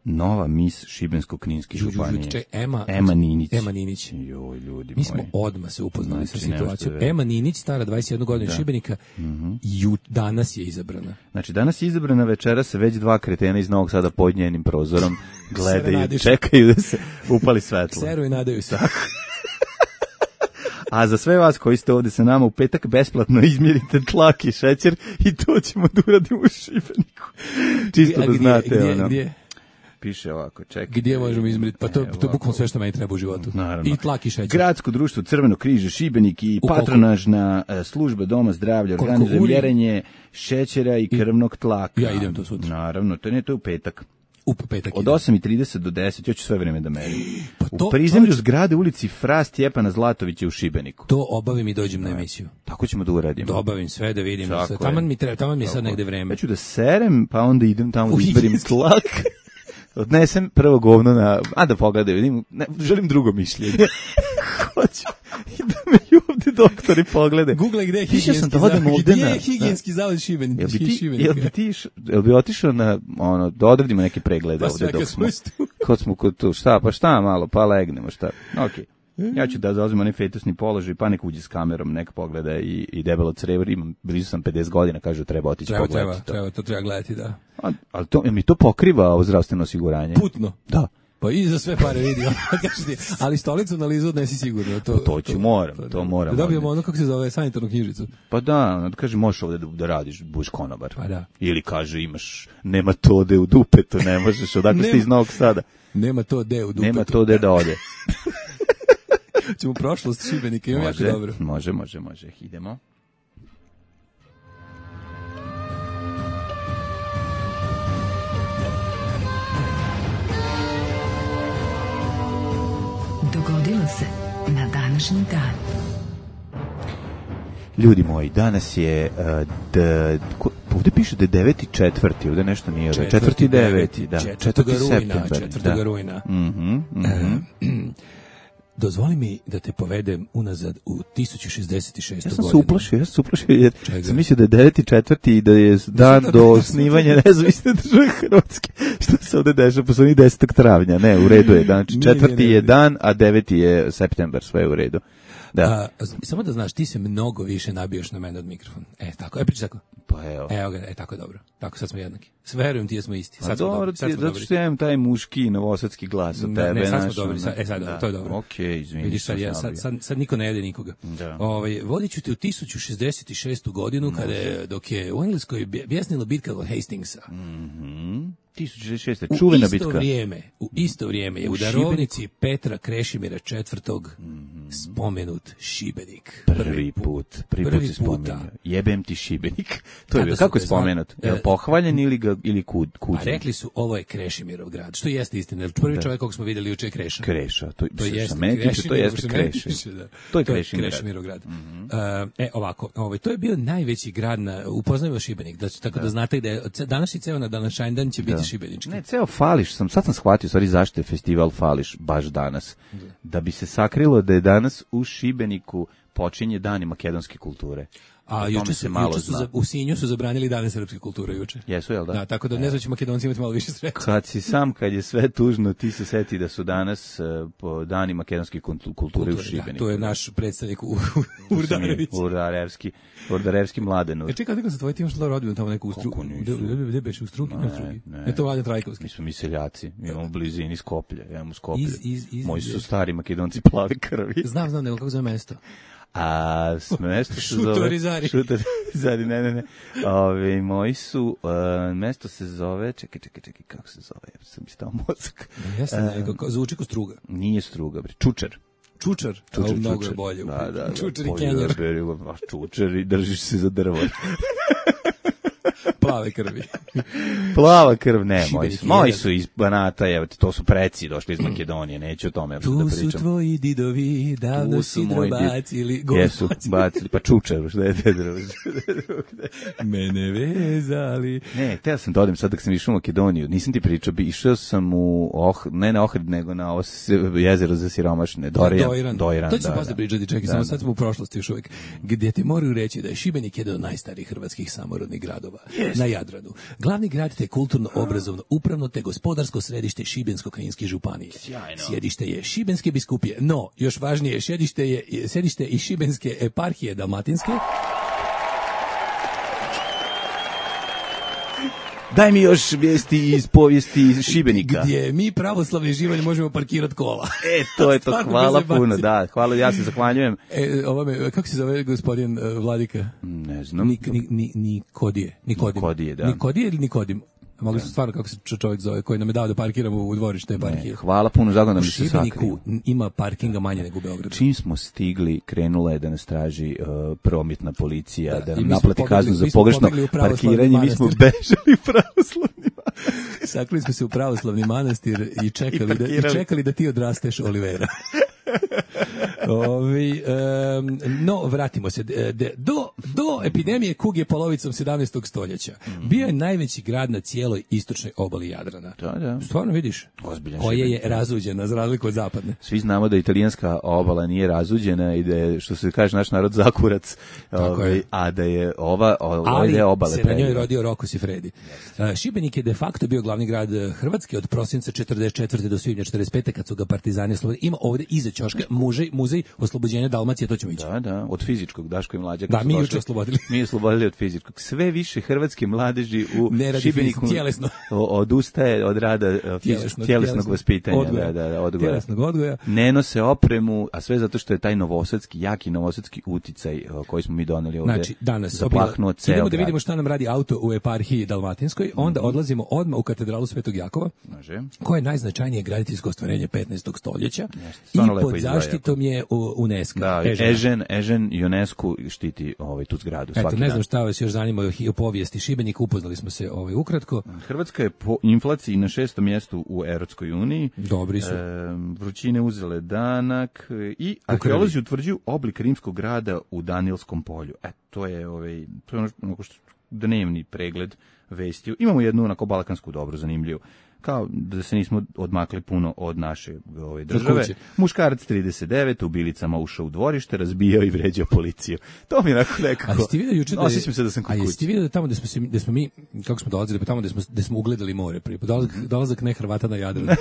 Nova mis Šibensko-Kninske županije. Če, Ema, Ema Ninić. Ema Ninić. Joj, ljudi Mi smo moji. odmah se upoznali znači, sa situacijom. Ema Ninić, stara dvadeset jednu godinu da. Šibenika, mm-hmm. ju, danas je izabrana. Znači, danas je izabrana, večera se već dva kretena iz Novog Sada pod njenim prozorom gledaju, čekaju da se upali svetlo. Seru i nadaju se. A za sve vas koji ste ovdje sa nama u petak besplatno izmjerite tlak i šećer i to ćemo da uradimo u Šibeniku. Čisto da znate. Gdje, ono. gdje? piše ovako, čekaj. Gdje možemo izmeriti? Pa to, Evo to je bukvalno sve što meni treba u životu. Naravno. I tlak i šećer. Gradsko društvo Crveno križe Šibenik i U koliko? patronažna e, služba Doma zdravlja Koliko organizuje uri? mjerenje šećera i krvnog tlaka. Ja idem to sutra. Naravno, to ne, to je u petak. U petak Od idem. osam i trideset do deset, ja ću sve vreme da merim. Pa to- u prizemlju čovječ- zgrade ulici Fra Stjepana Zlatovića u Šibeniku. To obavim i dođem na emisiju. Tako ćemo da uradimo. Da obavim sve, da vidim. Tako Sve. je. Taman mi treba, taman mi je sad Tako. negde vreme. Ja ću da serem, pa onda idem tamo U da izberim higijenski. tlak. Odnesem prvo govno na... A da pogledaju, vidim, ne, želim drugo mišljenje. Hoću. I da me i ovdje doktori poglede. Google gde je Mislio sam higijenski da odem zavod. ovde Gdje na- je higijenski zavod Šibenik? Jel bi ti, Šibenika? jel bi ti, iš- jel bi otišao na, ono, da odradimo neke preglede Pa ovdje sve dok kad smo, smo tu. kod smo kod tu, šta, pa šta malo, pa legnemo, šta, okej. Ja ću da zauzmem onaj fetusni položaj, pa nek uđe s kamerom, nek pogleda i, i debelo crevo, imam, blizu sam pedeset godina, kažu treba otići Treba, pogledati treba, to. treba, to treba gledati, da. A, ali to, jel mi to pokriva ovo zdravstveno osiguranje? Putno. Da. Pa i za sve pare vidi, kažeš ti, ali stolicu analizu odnesi sigurno. To, To ću, moram, to moram Da dobijemo odneti. ono, kako se zove, sanitarnu knjižicu. Pa da, ono, kaže, možeš ovdje da, da radiš, budeš konobar. Pa da. Ili kaže, imaš nematode u dupetu, ne možeš, odakle ste Nema- iz Novog Sada. Nema to de u dupetu. Nema to gde da ode. Ćemo prošlost Šibenika, imam jako Može, dobro. može, može, može. Idemo. Dogodilo se na današnji dan. Ljudi moji, danas je uh, d, ko, ovdje piše da je deveti četvrti, ovdje nešto nije ovdje. Četvrti deveti, da. Četvrtoga rujna, septembar, četvrtoga da. rujna. Mhm, mhm. Dozvoli mi da te povedem unazad u tisuću šezdeset šestu Ja sam se godinu. uplašio, ja sam se uplašio jer Čega? sam mislio da je deveti četvrti i da je dan do osnivanja nezavisne države Hrvatske. Što se ovdje dešava posle onih desetog travnja? Ne, u redu je. Znači, Nije, četvrti nije, je nije. dan, a deveti je septembar, sve je u redu. Da. A, z- samo da znaš, ti se mnogo više nabijaš na mene od mikrofona. E, tako, e, pričaj tako. Pa evo. Evo ga, e, tako je dobro. Tako, sad smo jednaki. Sve verujem ti da smo isti. A Sad smo dobro, dobri, ti, sad smo zato dobri. što ja imam taj muški novosadski glas od Ne, tebe. ne, sad smo znaš, dobri, ono, sad- e, sad, da. to je dobro. Okej, izvini. Vidiš, sad, što ja, sam sad, nabio. sad, sad niko ne jede nikoga. Da. Ovaj, vodit ću te u tisuću šezdeset šestu godinu, kada je, dok je u Engleskoj bje- bjesnila bitka kod Hastingsa. tisuću šezdeset šeste. U Čuvena isto bitka. vrijeme, u isto vrijeme je u, U darovnici Petra Krešimira četvrtog spomenut Šibenik. Prvi put, prvi, put se spominja. Jebem ti Šibenik. To je Kada bilo. su Kako je ga zvali- spomenut? Je li E, pohvaljen ili ga ili kud kud? A rekli su, ovo je Krešimirov grad, što jeste istina. jer Prvi čovjek kog smo vidjeli juče je Kreša. Kreša, to, To što jeste mene tiče, to Krešimir, jeste što meni Kreša. tiče, da. To je Krešimirov grad. Krešimirov grad. Uh, e, ovako, ovaj, to je bio najveći grad na, upoznajmo Šibenik, da, tako da, znate da je, ce- današnji ceo na današnji dan će biti šibenički. Ne, ceo Fališ sam, sad sam shvatio, stvari zašto je festival Fališ baš danas. Da bi se sakrilo da je danas u Šibeniku počinje dani makedonske kulture. O A tome juče se su, malo juče su zna. za, u Sinju su zabranili dane srpske kulture juče. Jesu, jel da? Da, tako da ne znam će Makedonci imati malo više sreće. Kad si sam, kad je sve tužno, ti se seti da su danas uh, po dani makedonske kultu- kulture u Da, Šibeniku. to je naš predstavnik u, u Urdarević. Urdarevski, Urdarevski mladen. E čekaj, kako se tvoj tim što rodbinu tamo neku u struku? Kako nisu? Gde- gde- Gde beše u struki? Ne, struki. ne. Ne, to Vladan Trajkovski. Mi smo mi seljaci, mi imamo u blizini Skoplje, imamo Skoplje. Iz- iz- iz- Moji su iz- stari makedonci plave krvi. Znam, znam, nego kako zove mesto. A s mesto se zove... Šutorizari. Šutorizari, ne, ne, ne. Ove, moji su, uh, mesto se zove, čekaj, čekaj, čekaj, kako se zove, ja sam mi stao mozak. Jeste, nego, kao- zvuči ko struga. Nije struga, bre, čučer. Čučar, Čučer, a mnogo čučer. je bolje. Da, da, da. Čučar i Bolje kenjer, da beri, baš čučer i držiš se za drvo. plave krvi. Plava krv, ne, Šibenik moji je su, moji jedan. su iz Banata, evo, to su preci došli iz Makedonije, neću o tome Tu da su pričam. tvoji didovi, davno Tu si su moji did- drobacili, go- Jesu, bacili, pa čučer, šta je te drugo? mene vezali. Ne, teo sam da odem sad dok sam išao u Makedoniju, nisam ti pričao, bi išao sam u, oh, ne na Ohrid, nego na ovo s- jezero za siromašne, Dorijan. Dojran. Dojran, To ću da, posle da. pričati, čekaj, Da, samo da. sad smo u prošlosti još uvijek. Gdje ti moraju reći da je Šibenik jedan od najstarijih hrvatskih samorodnih gradova na Jadranu. Glavni grad te kulturno, obrazovno, upravno te gospodarsko središte Šibensko-kninske županije. Sjedište je Šibenske biskupije, no, još važnije, sjedište je sjedište i Šibenske eparhije dalmatinske. Daj mi još vijesti iz povijesti iz Šibenika. Gdje mi pravoslavni živanje možemo parkirati kola. E, to je to, Stvarno hvala bez zebancije. puno, da, hvala, ja se zahvaljujem. E, ovome, kako se zove gospodin uh, Vladika? Ne znam. Nik, ni, ni, Nikodije. Nikodim. Nikodije, da. Nikodije ili Nikodim? Mogli su stvarno, kako se čovjek zove, koji nam je dao da parkiramo u dvorište parkije. Hvala puno, zagodno U mi se sakriju. Šibeniku ima parkinga manje nego u Beogradu. Čim smo stigli, krenula je da nas traži uh, prometna policija, da, da nam mi smo naplati pobegli- kaznu za mi smo pogrešno pobegli u pravoslavni parkiranje, mi smo manastir. bežali u pravoslavni manastir. Sakrili smo se u pravoslavni manastir i čekali, I da, i parkirali. čekali da ti odrasteš, Olivera. Ovi, um, no, vratimo se. De, de, do, do epidemije kuge polovicom sedamnaestog stoljeća bio je najveći grad na cijeloj istočnoj obali Jadrana. Da, da. Stvarno vidiš? Ozbiljan Koja je Šibenik. razuđena za razliku od zapadne. Svi znamo da italijanska obala nije razuđena i da je, što se kaže, naš narod zakurac, ovaj, je. a da je ova, ova Ali je obale se na njoj predivan. rodio Roko Sifredi. Uh, Šibenik je de facto bio glavni grad Hrvatske od prosinca četrdeset četvrte do svibnja četrdeset pete kad su ga partizani oslobodili. Ima ovde iza ćoška muzej, muzej oslobođenja Dalmacije, to ćemo ići. Da, da, od fizičkog, Daško i Mlađa. Da, kad su mi došli, juče oslobodili. Mi oslobodili od fizičkog. Sve više hrvatske mladeži u Ne radi Šibeniku fizički, tjelesno. o- odustaje od rada e, fizičkog, Tjelesnog, tjelesnog tjelesnog vaspitanja. odgoja. Da, da, odgoja. Tjelesnog odgoja. Ne nose opremu, a sve zato što je taj novosadski, jaki novosadski uticaj e, koji smo mi doneli ovde. Znači, danas zaplahnuo obila- ceo idemo da grad. vidimo šta nam radi auto u eparhiji Dalmatinskoj, onda odlazimo odmah u katedralu Svetog Jakova, Može. koje je najznačajnije graditeljsko ostvarenje petnaestog stoljeća i stvarno lepo pod izgleda zaštitom je u- UNESCO. Da, Ežena. Ežen, Ežen UNESCO štiti ovaj, tu zgradu. Eto, svaki ne dan. znam šta vas još zanima o- o povijesti Šibenika, upoznali smo se ovaj ukratko. Hrvatska je po inflaciji na šestom mjestu u Europskoj uniji. Dobri su. E, vrućine uzele danak e, i arheolozi utvrđuju oblik rimskog grada u Danilskom polju. E, to je, ovaj, to je ono što- onako što dnevni pregled vesti. Imamo jednu onako balkansku dobro zanimljivu. Kao da se nismo odmakli puno od naše ove države. kuće. Muškarac trideset devet u bilicama ušao u dvorište, razbijao i vređao policiju. To mi je onako nekako. A jeste vidio juče da je- Osjećam se da sam kod A kuće. jeste vidio da tamo da smo se da smo mi kako smo dolazili pa tamo da smo da smo ugledali more prije pa dolazak, dolazak ne Hrvata na Jadran.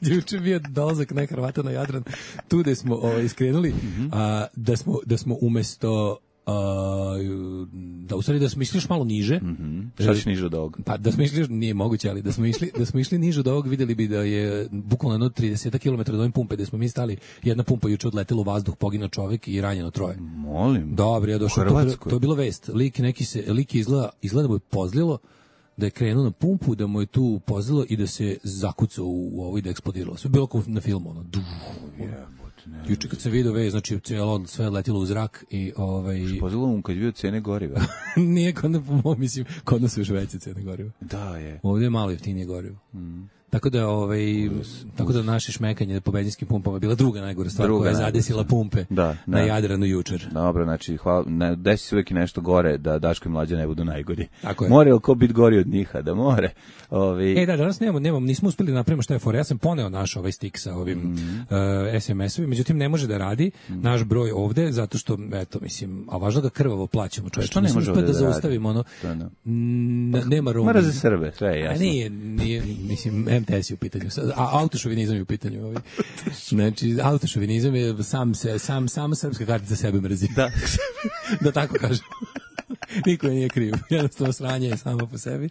Juče bio dolazak ne Hrvata na Jadran. Tu da smo ovaj iskrenuli a da smo da smo umesto a, da u stvari da smo išli još malo niže. Šta si niže od ovog? Pa da smo išli, nije moguće, ali da smo išli, da smo išli niže od ovog, vidjeli bi da je bukvalno jedno trideset kilometara od ove pumpe gde smo mi stali, jedna pumpa juče odletela u vazduh, poginuo čovjek i ranjeno troje. Molim. Dobro, ja došao, U to, bilo- Hrvatskoj? to je bilo vest. Lik neki se, lik je izgleda, izgleda da mu je pozlilo, da je krenuo na pumpu, da mu je tu pozlilo i da se zakucao u, u ovo i da je eksplodiralo. Sve je bilo kao na filmu, ono, duh, juče kad sam vidio vest, znači cijelo, sve je letilo u zrak i ovaj... Pozvalo mu kad je bio cene goriva. Nije kod nas, po mom, mislim, kod nas su još veće cene goriva. Da je. Ovdje je malo jeftinije gorivo. Tako da ovaj tako da naše šmekanje po benzinskim pumpama je bila druga najgora stvar Druga koja je najgora zadesila stvar. pumpe Da, na da. Jadranu jučer. Dobro, znači, hvala, ne, desi se uvijek i nešto gore, da Daško i Mlađa ne budu najgori. Tako je. More li ko biti gori od njih, a da more. Ovi, E da, danas nemamo, nemamo, nismo uspeli da napravimo šta je fora. Ja sam poneo naš ovaj stik sa ovim Mhm. uh, es em es-ovim, međutim ne može da radi naš broj ovde, zato što, eto, mislim, a važno ga krvavo plaćamo, čovječe. što ne Nismo može uspeli ovde da da radi? zaustavimo ono. To da. Mm, nema room. Mora za Srbe, sve je A jasno. nije, nije, mislim, em te es je u pitanju, a autošovinizam je u pitanju. Ovaj. Znači, autošovinizam je sam, se, sam, sam srpska kartica sebe mrzi. Da. Da tako kažem. Niko je nije kriv. Jednostavno sranje je samo po sebi.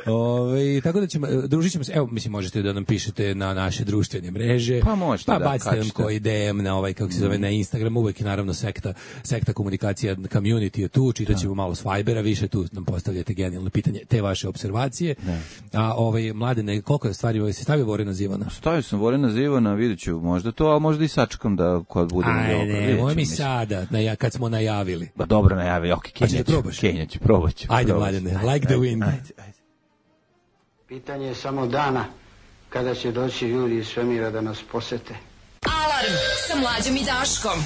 Ove, tako da ćemo, družit ćemo se, evo, mislim, možete da nam pišete na naše društvene mreže. Pa možete, pa da, bacite nam kačite. koji de em na ovaj, kako se zove, na Instagram, uvek je naravno sekta, sekta komunikacija, community je tu, čitat ćemo malo s Vibera, više tu nam postavljate genijalno pitanje, te vaše observacije. A ovaj, Mladene, koliko je stvari, ovaj, se stavio Vorena Zivana? Stavio sam Vorena Zivana, vidjet ću možda to, a možda i sačekam da kad budemo dobro. Ajde, vidjet moj ću, mi mislim. sada, naja, kad smo najavili. Ba dobro najavi, ok, ćeš da Kenja ću, probaš? Kenja ću, probat ću. Ajde, probat ću. Mladene, like the wind. Ajde, ajde. Pitanje je samo dana kada će doći ljudi iz svemira da nas posete. Alarm sa Mlađom i Daškom.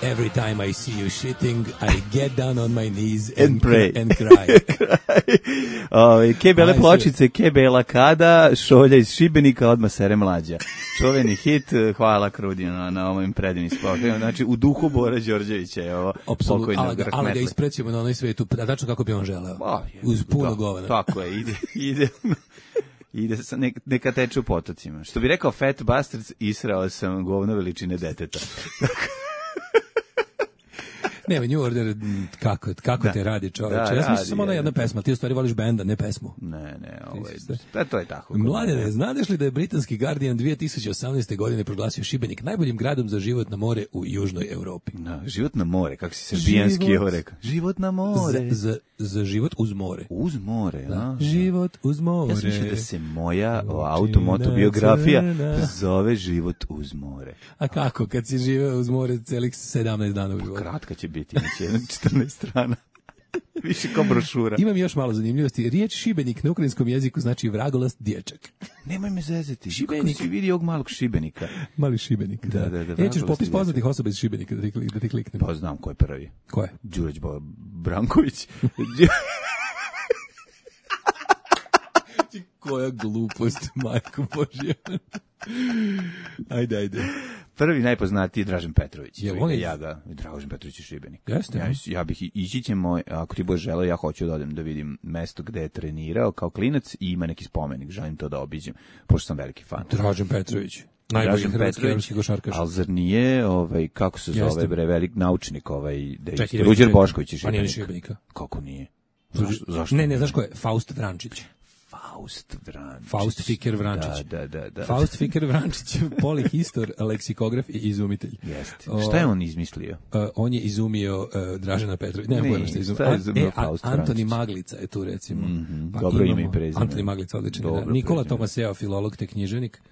Every time I see you shitting, I get down on my knees and, And pray. and cry. Ove, ke bele Ajde. pločice, ke bela kada, šolja iz Šibenika, odmah sere Mlađa. Čuveni hit, hvala Krudi na, na ovim predivnim spokovima. Znači, u duhu Bora Đorđevića je ovo Apsolutno, pokojnog ali ga, ali ga rahmetli. isprećujemo na onoj svetu, a tačno kako bi on želeo. Pa, je, Uz puno da, govana. Tako je, ide, ide, ide sa, neka, neka teče u potocima. Što bi rekao Fat Bastards, israo sam govno veličine deteta. Ne, New Order, kako, kako Da. te radi čoveče. Da, Ja sam mislio radi, samo ona je. jedna pesma, ti u stvari voliš benda, ne pesmu. Ne, ne, ovo je, Ti si da, to je tako. Mladene, znadeš li da je britanski Guardian dve tisuće osamnaeste. godine proglasio Šibenik najboljim gradom za život na more u južnoj Evropi? Da, život na more, kako si srbijanski Život. ovo rekao. Život na more. Za, za, za život uz more. Uz more, a? Život uz more. Ja sam mislio da se moja o, Očina automotobiografija crna. zove Život uz more. A kako, kad si živeo uz more celih sedamnaest dana u životu? Kratka će biti, znači jedna četrnaest strana. Više kao brošura. Imam još malo zanimljivosti. Riječ šibenik na ukrajinskom jeziku znači vragolast dječak. Nemoj me zezati. Šibenik. Kako si vidi ovog malog šibenika? Mali šibenik. Da, da, da, E, ćeš vragolast popis dječak. poznatih osoba iz Šibenika da ti, kli- da ti kliknem. Pa znam ko je prvi. Ko je? Đurđ Bo- Branković. Koja glupost, majko Božja. Ajde, ajde. Prvi najpoznatiji je Dražen Petrović. Jel Čuj on ga, je- ja ga, Dražen Petrović je Šibenik. Jeste, Ja, a? ja bih i- ići ćemo, ako ti budeš želeo, ja hoću da odem da vidim mesto gde je trenirao kao klinac i ima neki spomenik, želim to da obiđem, pošto sam veliki fan. Dražen Petrović. Najbolji Dražen hrvatski Petrović, evropski košarkaš. ali zar nije, ovaj, kako se Jeste. zove, bre, velik naučnik, ovaj, da je Čekaj, isto, da Ruđer vidim. Bošković je Pa nije ni Šibenik. Šibenika. Kako nije? Zašto? zašto Ne, ne, nije? znaš ko je? Faust Vrančić. Faust Vrančić. Faust Fiker Vrančić. Da, da, da. da. Faust Fiker Vrančić, polihistor, leksikograf i izumitelj. Jeste. O, Šta je on izmislio? Uh, on je izumio uh, Dražena Petrovića. Ne, Ne, pojma šta je izumio. šta je An- izumio e, a- Faust Antoni Vrančić? Maglica je tu recimo. Mhm, Pa dobro ime imamo i prezime. Antoni Maglica, odličan. je, Da. Dobro Nikola prezime. Tomaseo, filolog te književnik.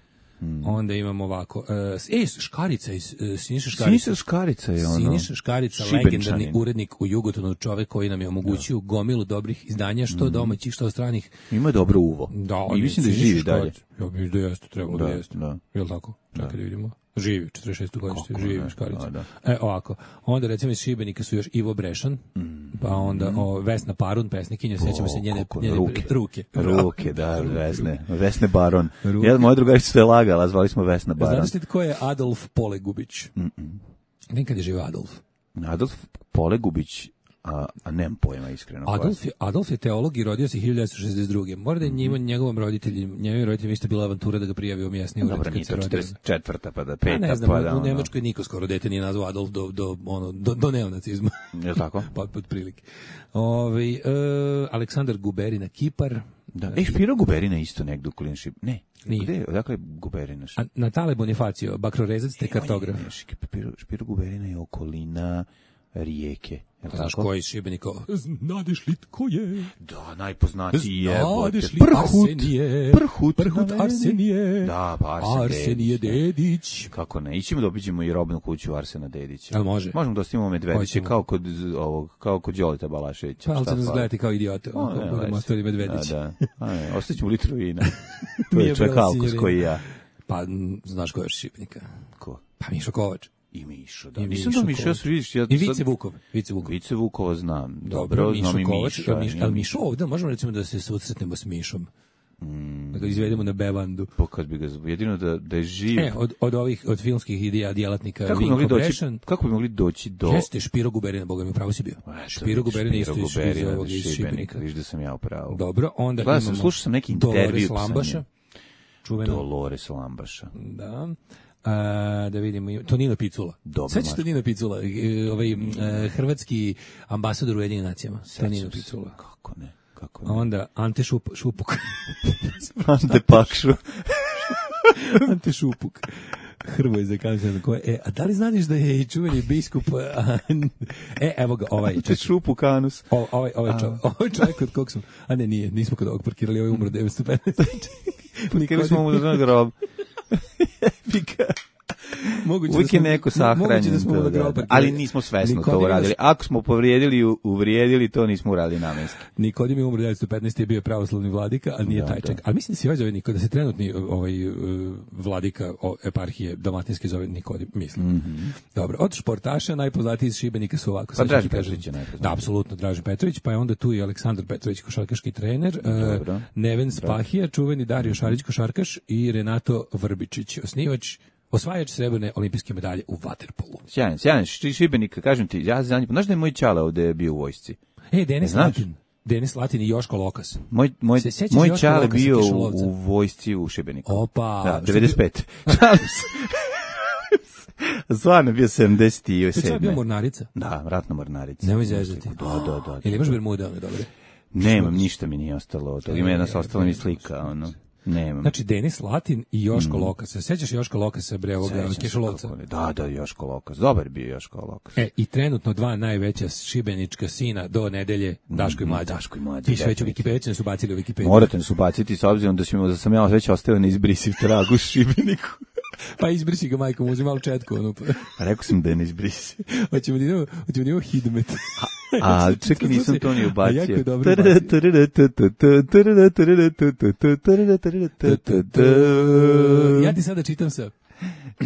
Onda imamo ovako. Uh, e, Škarica, iz, uh, Siniša Škarica. Siniša Škarica je ono. Siniša Škarica, Šibenčanin. legendarni urednik u Jugotonu, čovek koji nam je omogućio gomilu dobrih izdanja, što domaćih, što stranih. Ima dobro uvo. Da, I on je mislim da Siniša živi dalje. Škarica. Ja mislim da jeste, trebalo da, Da, jeste. da. Jel tako? Čekaj da vidimo. Živi, četrdeset šeste godište, Kako živi ne, Škarica. da, E, ovako. Onda recimo iz Šibenika su još Ivo Brešan, pa onda o, Vesna Parun, pesnikinja, sjećamo se njene, kako, njene ruke. ruke. Ruke, da, Vesne. Vesne Baron. Ruke. Jedan moja drugarica što je lagala, zvali smo Vesna Baron. Znate li tko je Adolf Polegubić? Nekad je živio Adolf. Adolf Polegubić, a, a nemam pojma iskreno. ko je. Adolf je, Adolf je teolog i rodio se hiljadu devetsto šezdeset druge. Mora da je njima, njegovom roditelji, njegovim roditeljima isto bila avantura da ga prijavi u mjesni ured Dobro, kad nije se to rodio. četrdeset četvrta pa da Pa peta, ne znam, pa da u ono. Nemačkoj niko skoro dete nije nazvao Adolf do, do, ono, do, do neonacizma. Je li tako? Pa pod prilike. Ove, e, Aleksandar Guberina, Kipar. Da. E, Špiro Guberina isto negdje u Klinši. Ne. Nije. Gde? Odakle je Guberina? A Natale Bonifacio, bakrorezac te kartograf. On je- Špiro, Špiro Guberina je okolina Rijeke. Je li Znaš tako? ko je iz Šibenika? Znadeš li tko je? Da, najpoznatiji je. Znadeš li Prhut. Arsenije? Prhut. Prhut navedi. Arsenije. Da, pa Arsen Arsenije Dedić. Dedić. Kako ne? Ićemo da obiđemo i robnu kuću Arsena Dedića. Jel može? Možemo da ostavimo Medvedića Hoćemo. kao kod z- ovog, kao kod Đolita Balaševića. Pa ali Šta će nas fali? gledati kao idiote. O, Ako ne, budemo leži. ostavili Medvedić. Da, da. A ne, ostaćemo litru vina. To Nije je čovjek bila alkos sinjorina. koji ja. Pa m, znaš ko je još iz Šibenika? Ko? Pa Mišo Kovač. I Mišo, da. I Nisam Mišo da Mišo, ja Kovač. sam vidiš, ja I sad- Vice Vukov. Vice Vukov. Vice Vukova znam. Dobro, Dobro, Mišo znam i Kovač. Miša. Miš, ali Mišo ovdje, možemo recimo da se susretnemo s Mišom. Mm. Da ga izvedemo na bevandu. Pa kad bi ga zv- jedino da, da je živ. E, od, od ovih, od filmskih ideja djelatnika kako bi mogli Vinko doći, Brešan. kako bi mogli doći do... Jeste Špiro Guberina, boga mi pravo si bio. Eto, Špiro Guberina isto iz, iz, Guberina, ovog, iz Šibenika. Viš da sam ja u pravu. Dobro, onda Gledao sam, imamo slušao sam neki intervju Dolores sa Lambaša. njim. Čuveno. Dolores Lambaša. Da. A, da vidimo, i- Tonino Picula. Dobro, Sveći Marko. Tonino Picula, e, ovaj e, hrvatski ambasador u Jedinim nacijama. Tonino Sećam se. Picula. Kako ne, kako A ne. onda Ante Šup, Šupuk. Ante Pakšu. Ante Šupuk. Hrvoje za kancer. E, a da li znaš da je i čuveni biskup... a, e, evo ga, ovaj. Ante čekaj. Šupu Kanus. O, ovaj, ovaj, čovjek, ovaj čovjek kod kog smo... A ne, nije, nismo kod ovog parkirali, ovaj umro devetsto petnaeste. Nikad smo mu da grob. Moguće Uvijek je smo- neko mo- moguće sahranjen. da smo mu to, na da, grob da. parkirali. Ali nismo svesno to Nikodim je- uradili. Ako smo povrijedili, u- uvrijedili, to nismo uradili namenski. Nikodim je umro devetsto petnaeste je bio pravoslavni vladika, ali nije Da, taj da. čak. Ali mislim da se ovaj zove Nikodim, da se trenutni ovaj uh, vladika o, eparhije Dalmatinske zove Nikodim, mislim. Dobro, od športaša najpoznatiji iz Šibenika su ovako. Pa sad ću Dražen ti kažem. Petrović je najpoznatiji. Da, apsolutno Dražen Petrović, pa je onda tu i Aleksandar Petrović, košarkaški trener, uh, Dobro. Neven Spahija, čuveni Dario Šarić, košarkaš i Renato Vrbičić, osnivač osvajač srebrne olimpijske medalje u vaterpolu. Sjajan, sjajan, Ši- Šibenik, kažem ti, ja zanimam. Znaš da je moj čale ovde bio u vojsci? E, Denis Znaš? Latin. Denis Latin i Joško Lokas. Moj, moj, Se sjećaš moj Joška čale Lokasa, bio u, Kišolovca? u vojsci u Šibeniku. Opa. Da, što devedeset pet. Šalim se. Stvarno bio sedamdeset sedam. To je bio mornarica? Da, ratna mornarica. Nemoj zezati. Da, da, da. Ili imaš bermude, one dobre? Nemam, ništa mi nije ostalo od toga. Ima jedna ostala mi slika, ono. Nemam. Znači, Denis Latin i Joško mm. Lokasa. Sećaš Joška Lokasa, bre, ovog Kešolovca? Da, da, Joško Lokas. Dobar bio Joško Lokas. E, i trenutno dva najveća šibenička sina do nedelje, Daško i Mlađa. Daško i Mlađa. Piše već u Wikipediji, su bacili u Wikipediji. Morate nas ubaciti, s obzirom da, ćemo, da sam ja već ostao na izbrisiv trag u Šibeniku. Pa izbrisi ga, majko, uzim malo četku. Ono. Rekao sam da je ne izbrisi. Hoćemo da idemo, hoćemo da idemo Hidmet. A, čekaj, nisam to ni ubacio. A jako je dobro ubacio. Ja ti sada čitam sa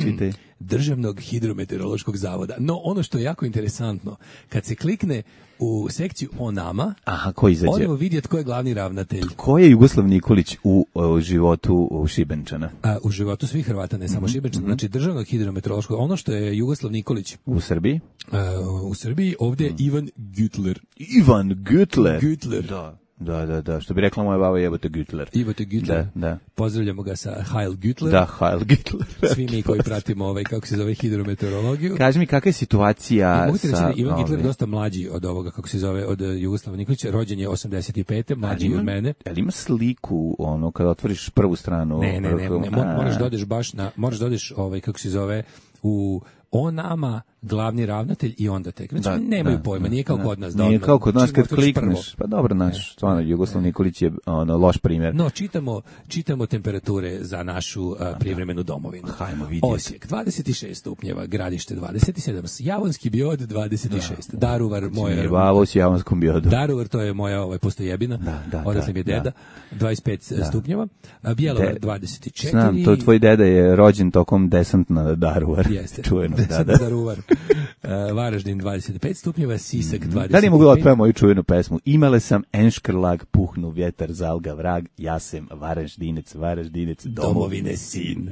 Čitaj. Državnog hidrometeorološkog zavoda. No, ono što je jako interesantno, kad se klikne u sekciju o nama, aha, ko izađe? Odemo vidjeti ko je glavni ravnatelj. Ko je Jugoslav Nikolić u, u životu u Šibenčana? A, u životu svih Hrvata, ne samo mm-hmm. Šibenčana. Znači, Državnog hidrometeorološkog, ono što je Jugoslav Nikolić. U Srbiji? A, u Srbiji, ovdje je mm. Ivan Gütler. Ivan Gütler? Gütler. Da. Da, da, da, što bi rekla moja baba, jebote Gütler. Jebote Gütler. Da, da. Pozdravljamo ga sa Heil Gütler. Da, Heil Gütler. Svi mi koji pratimo ovaj, kako se zove, hidrometeorologiju. Kaži mi, kakva je situacija mogu ti reći, sa... Ivan Gütler je dosta mlađi od ovoga, kako se zove, od Jugoslava Nikolića. Rođen je osamdeset pete, mlađi ima, od mene. Ali ima sliku, ono, kada otvoriš prvu stranu? Ne, ne, ne, ne, ne moraš da odeš baš na, moraš da odeš, ovaj, kako se zove, u... O nama, glavni ravnatelj i onda tek. Znači, da, nemaju da, pojma, nije kao da, kod nas. Da, nije kao kod nas kad klikneš. Pa dobro, naš, stvarno, Jugoslav Nikolić je ono, loš primjer. No, čitamo, čitamo temperature za našu uh, privremenu domovinu. Hajmo vidjeti. Osijek, dvadeset šest stupnjeva, Gradište, dvadeset sedam, Javonski Biod, dvadeset šest, da. Daruvar, moja... Bavo s Javonskom Biodu. Daruvar, to je moja ovaj, postojebina, da, da, odatle mi je deda, da. dvadeset pet da. Stupnjeva, Bjelovar, De, dvadeset četiri. Znam, to tvoj deda je rođen tokom desant na Daruvar. Jeste. Čujeno, da, da. Daruvar. Uh, Varaždin dvadeset pet stupnjeva, Sisak dvadeset pet. Da li mogu da otpevam moju čuvenu pesmu? Imale sam enškrlag, puhnu vjetar, zalga vrag, ja sam Varaždinec, Varaždinec, domovine sin.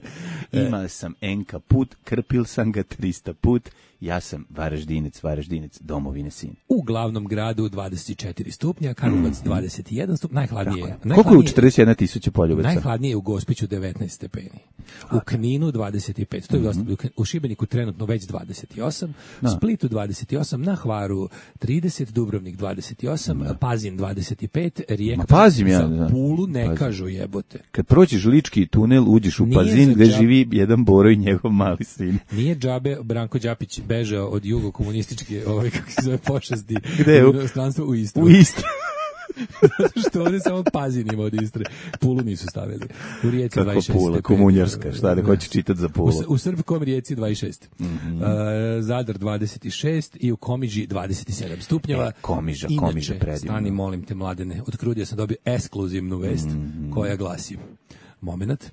Imale sam enka put, krpil sam ga trista put, ja sam Varaždinec, Varaždinec, domovine sin. U glavnom gradu dvadeset četiri stupnja, Karlovac dvadeset jedan stupnja, najhladnije. najhladnije Koliko je u četrdeset jedna tisuća Poljubaca? Najhladnije je u Gospiću devetnaest stepeni. U Kninu dvadeset pet, to je dosta, mm-hmm. u Šibeniku trenutno već dvadeset osam, no. Splitu dvadeset osam, na Hvaru trideset, Dubrovnik dvadeset osam, no. Pazin dvadeset pet, Rijeka Pazim ja, za da. Pulu ne Pazim. Kažu jebote. Kad prođeš Lički tunel, uđeš u Nije Pazin gde džab... živi jedan Boro i njegov mali sin. Nije džabe Branko Đapić bežao od jugokomunističke, ovaj, kako se zove, pošasti. Gde u inostranstvo u Istru. U Istru. Što ovdje samo Pazin ima od Istre. Pulu nisu stavili. U Rijeci dvadeset šest. Kako Pula, komunjarska, šta da hoće čitati za Pulu. U, u Srbkom Rijeci dvadeset šest. Mm-hmm. Uh, Zadar dvadeset šest i u Komiži dvadeset sedam stupnjeva. E, komiža, Inače, Komiža predivno. Stani, molim te, Mladene, od Krudija sam dobio ekskluzivnu vest mm-hmm. koja glasi. Moment,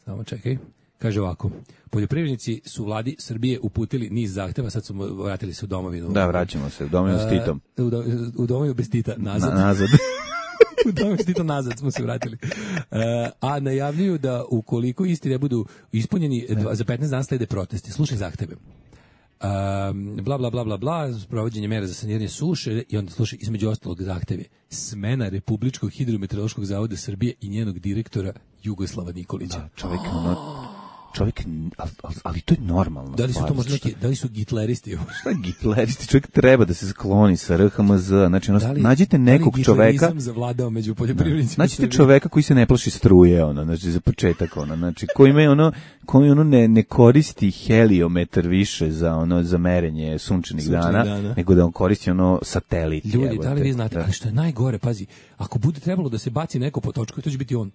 samo čekaj. Kaže ovako, poljoprivrednici su vladi Srbije uputili niz zahteva, sad su vratili se u domovinu. Da, vraćamo se, u domovinu s Titom. Uh, u, do, u domovinu bez Tita, nazad. Na, nazad. U domovinu s Titom nazad smo se vratili. Uh, a najavljuju da ukoliko isti ne budu ispunjeni, dva, za petnaest dana slede protesti. Slušaj zahteve. Um, bla, bla, bla, bla, bla, provođenje mera za saniranje suše i onda slušaj, između ostalog zahteve. Smena Republičkog hidrometeorološkog zavoda Srbije i njenog direktora Jugoslava Nikolića. Da, čovjek, ono, čovjek, ali, ali to je normalno. Da li su to možda neki, da li su gitleristi? Šta je gitleristi? Čovjek treba da se skloni sa R H M Z, znači, ono, da li, nađite nekog da li čoveka... zavladao među poljoprivrednicima? Nađite čoveka koji se ne plaši struje, ono, znači, za početak, ono, znači, koji ima, ono, koji, ono, ne, ne koristi heliometar više za, ono, za merenje sunčanih dana, dana, nego da on koristi, ono, satelit. Ljudi, jebote, da li vi znate, da. Ali što je najgore, pazi, ako bude trebalo da se baci neko po točku, to će biti on.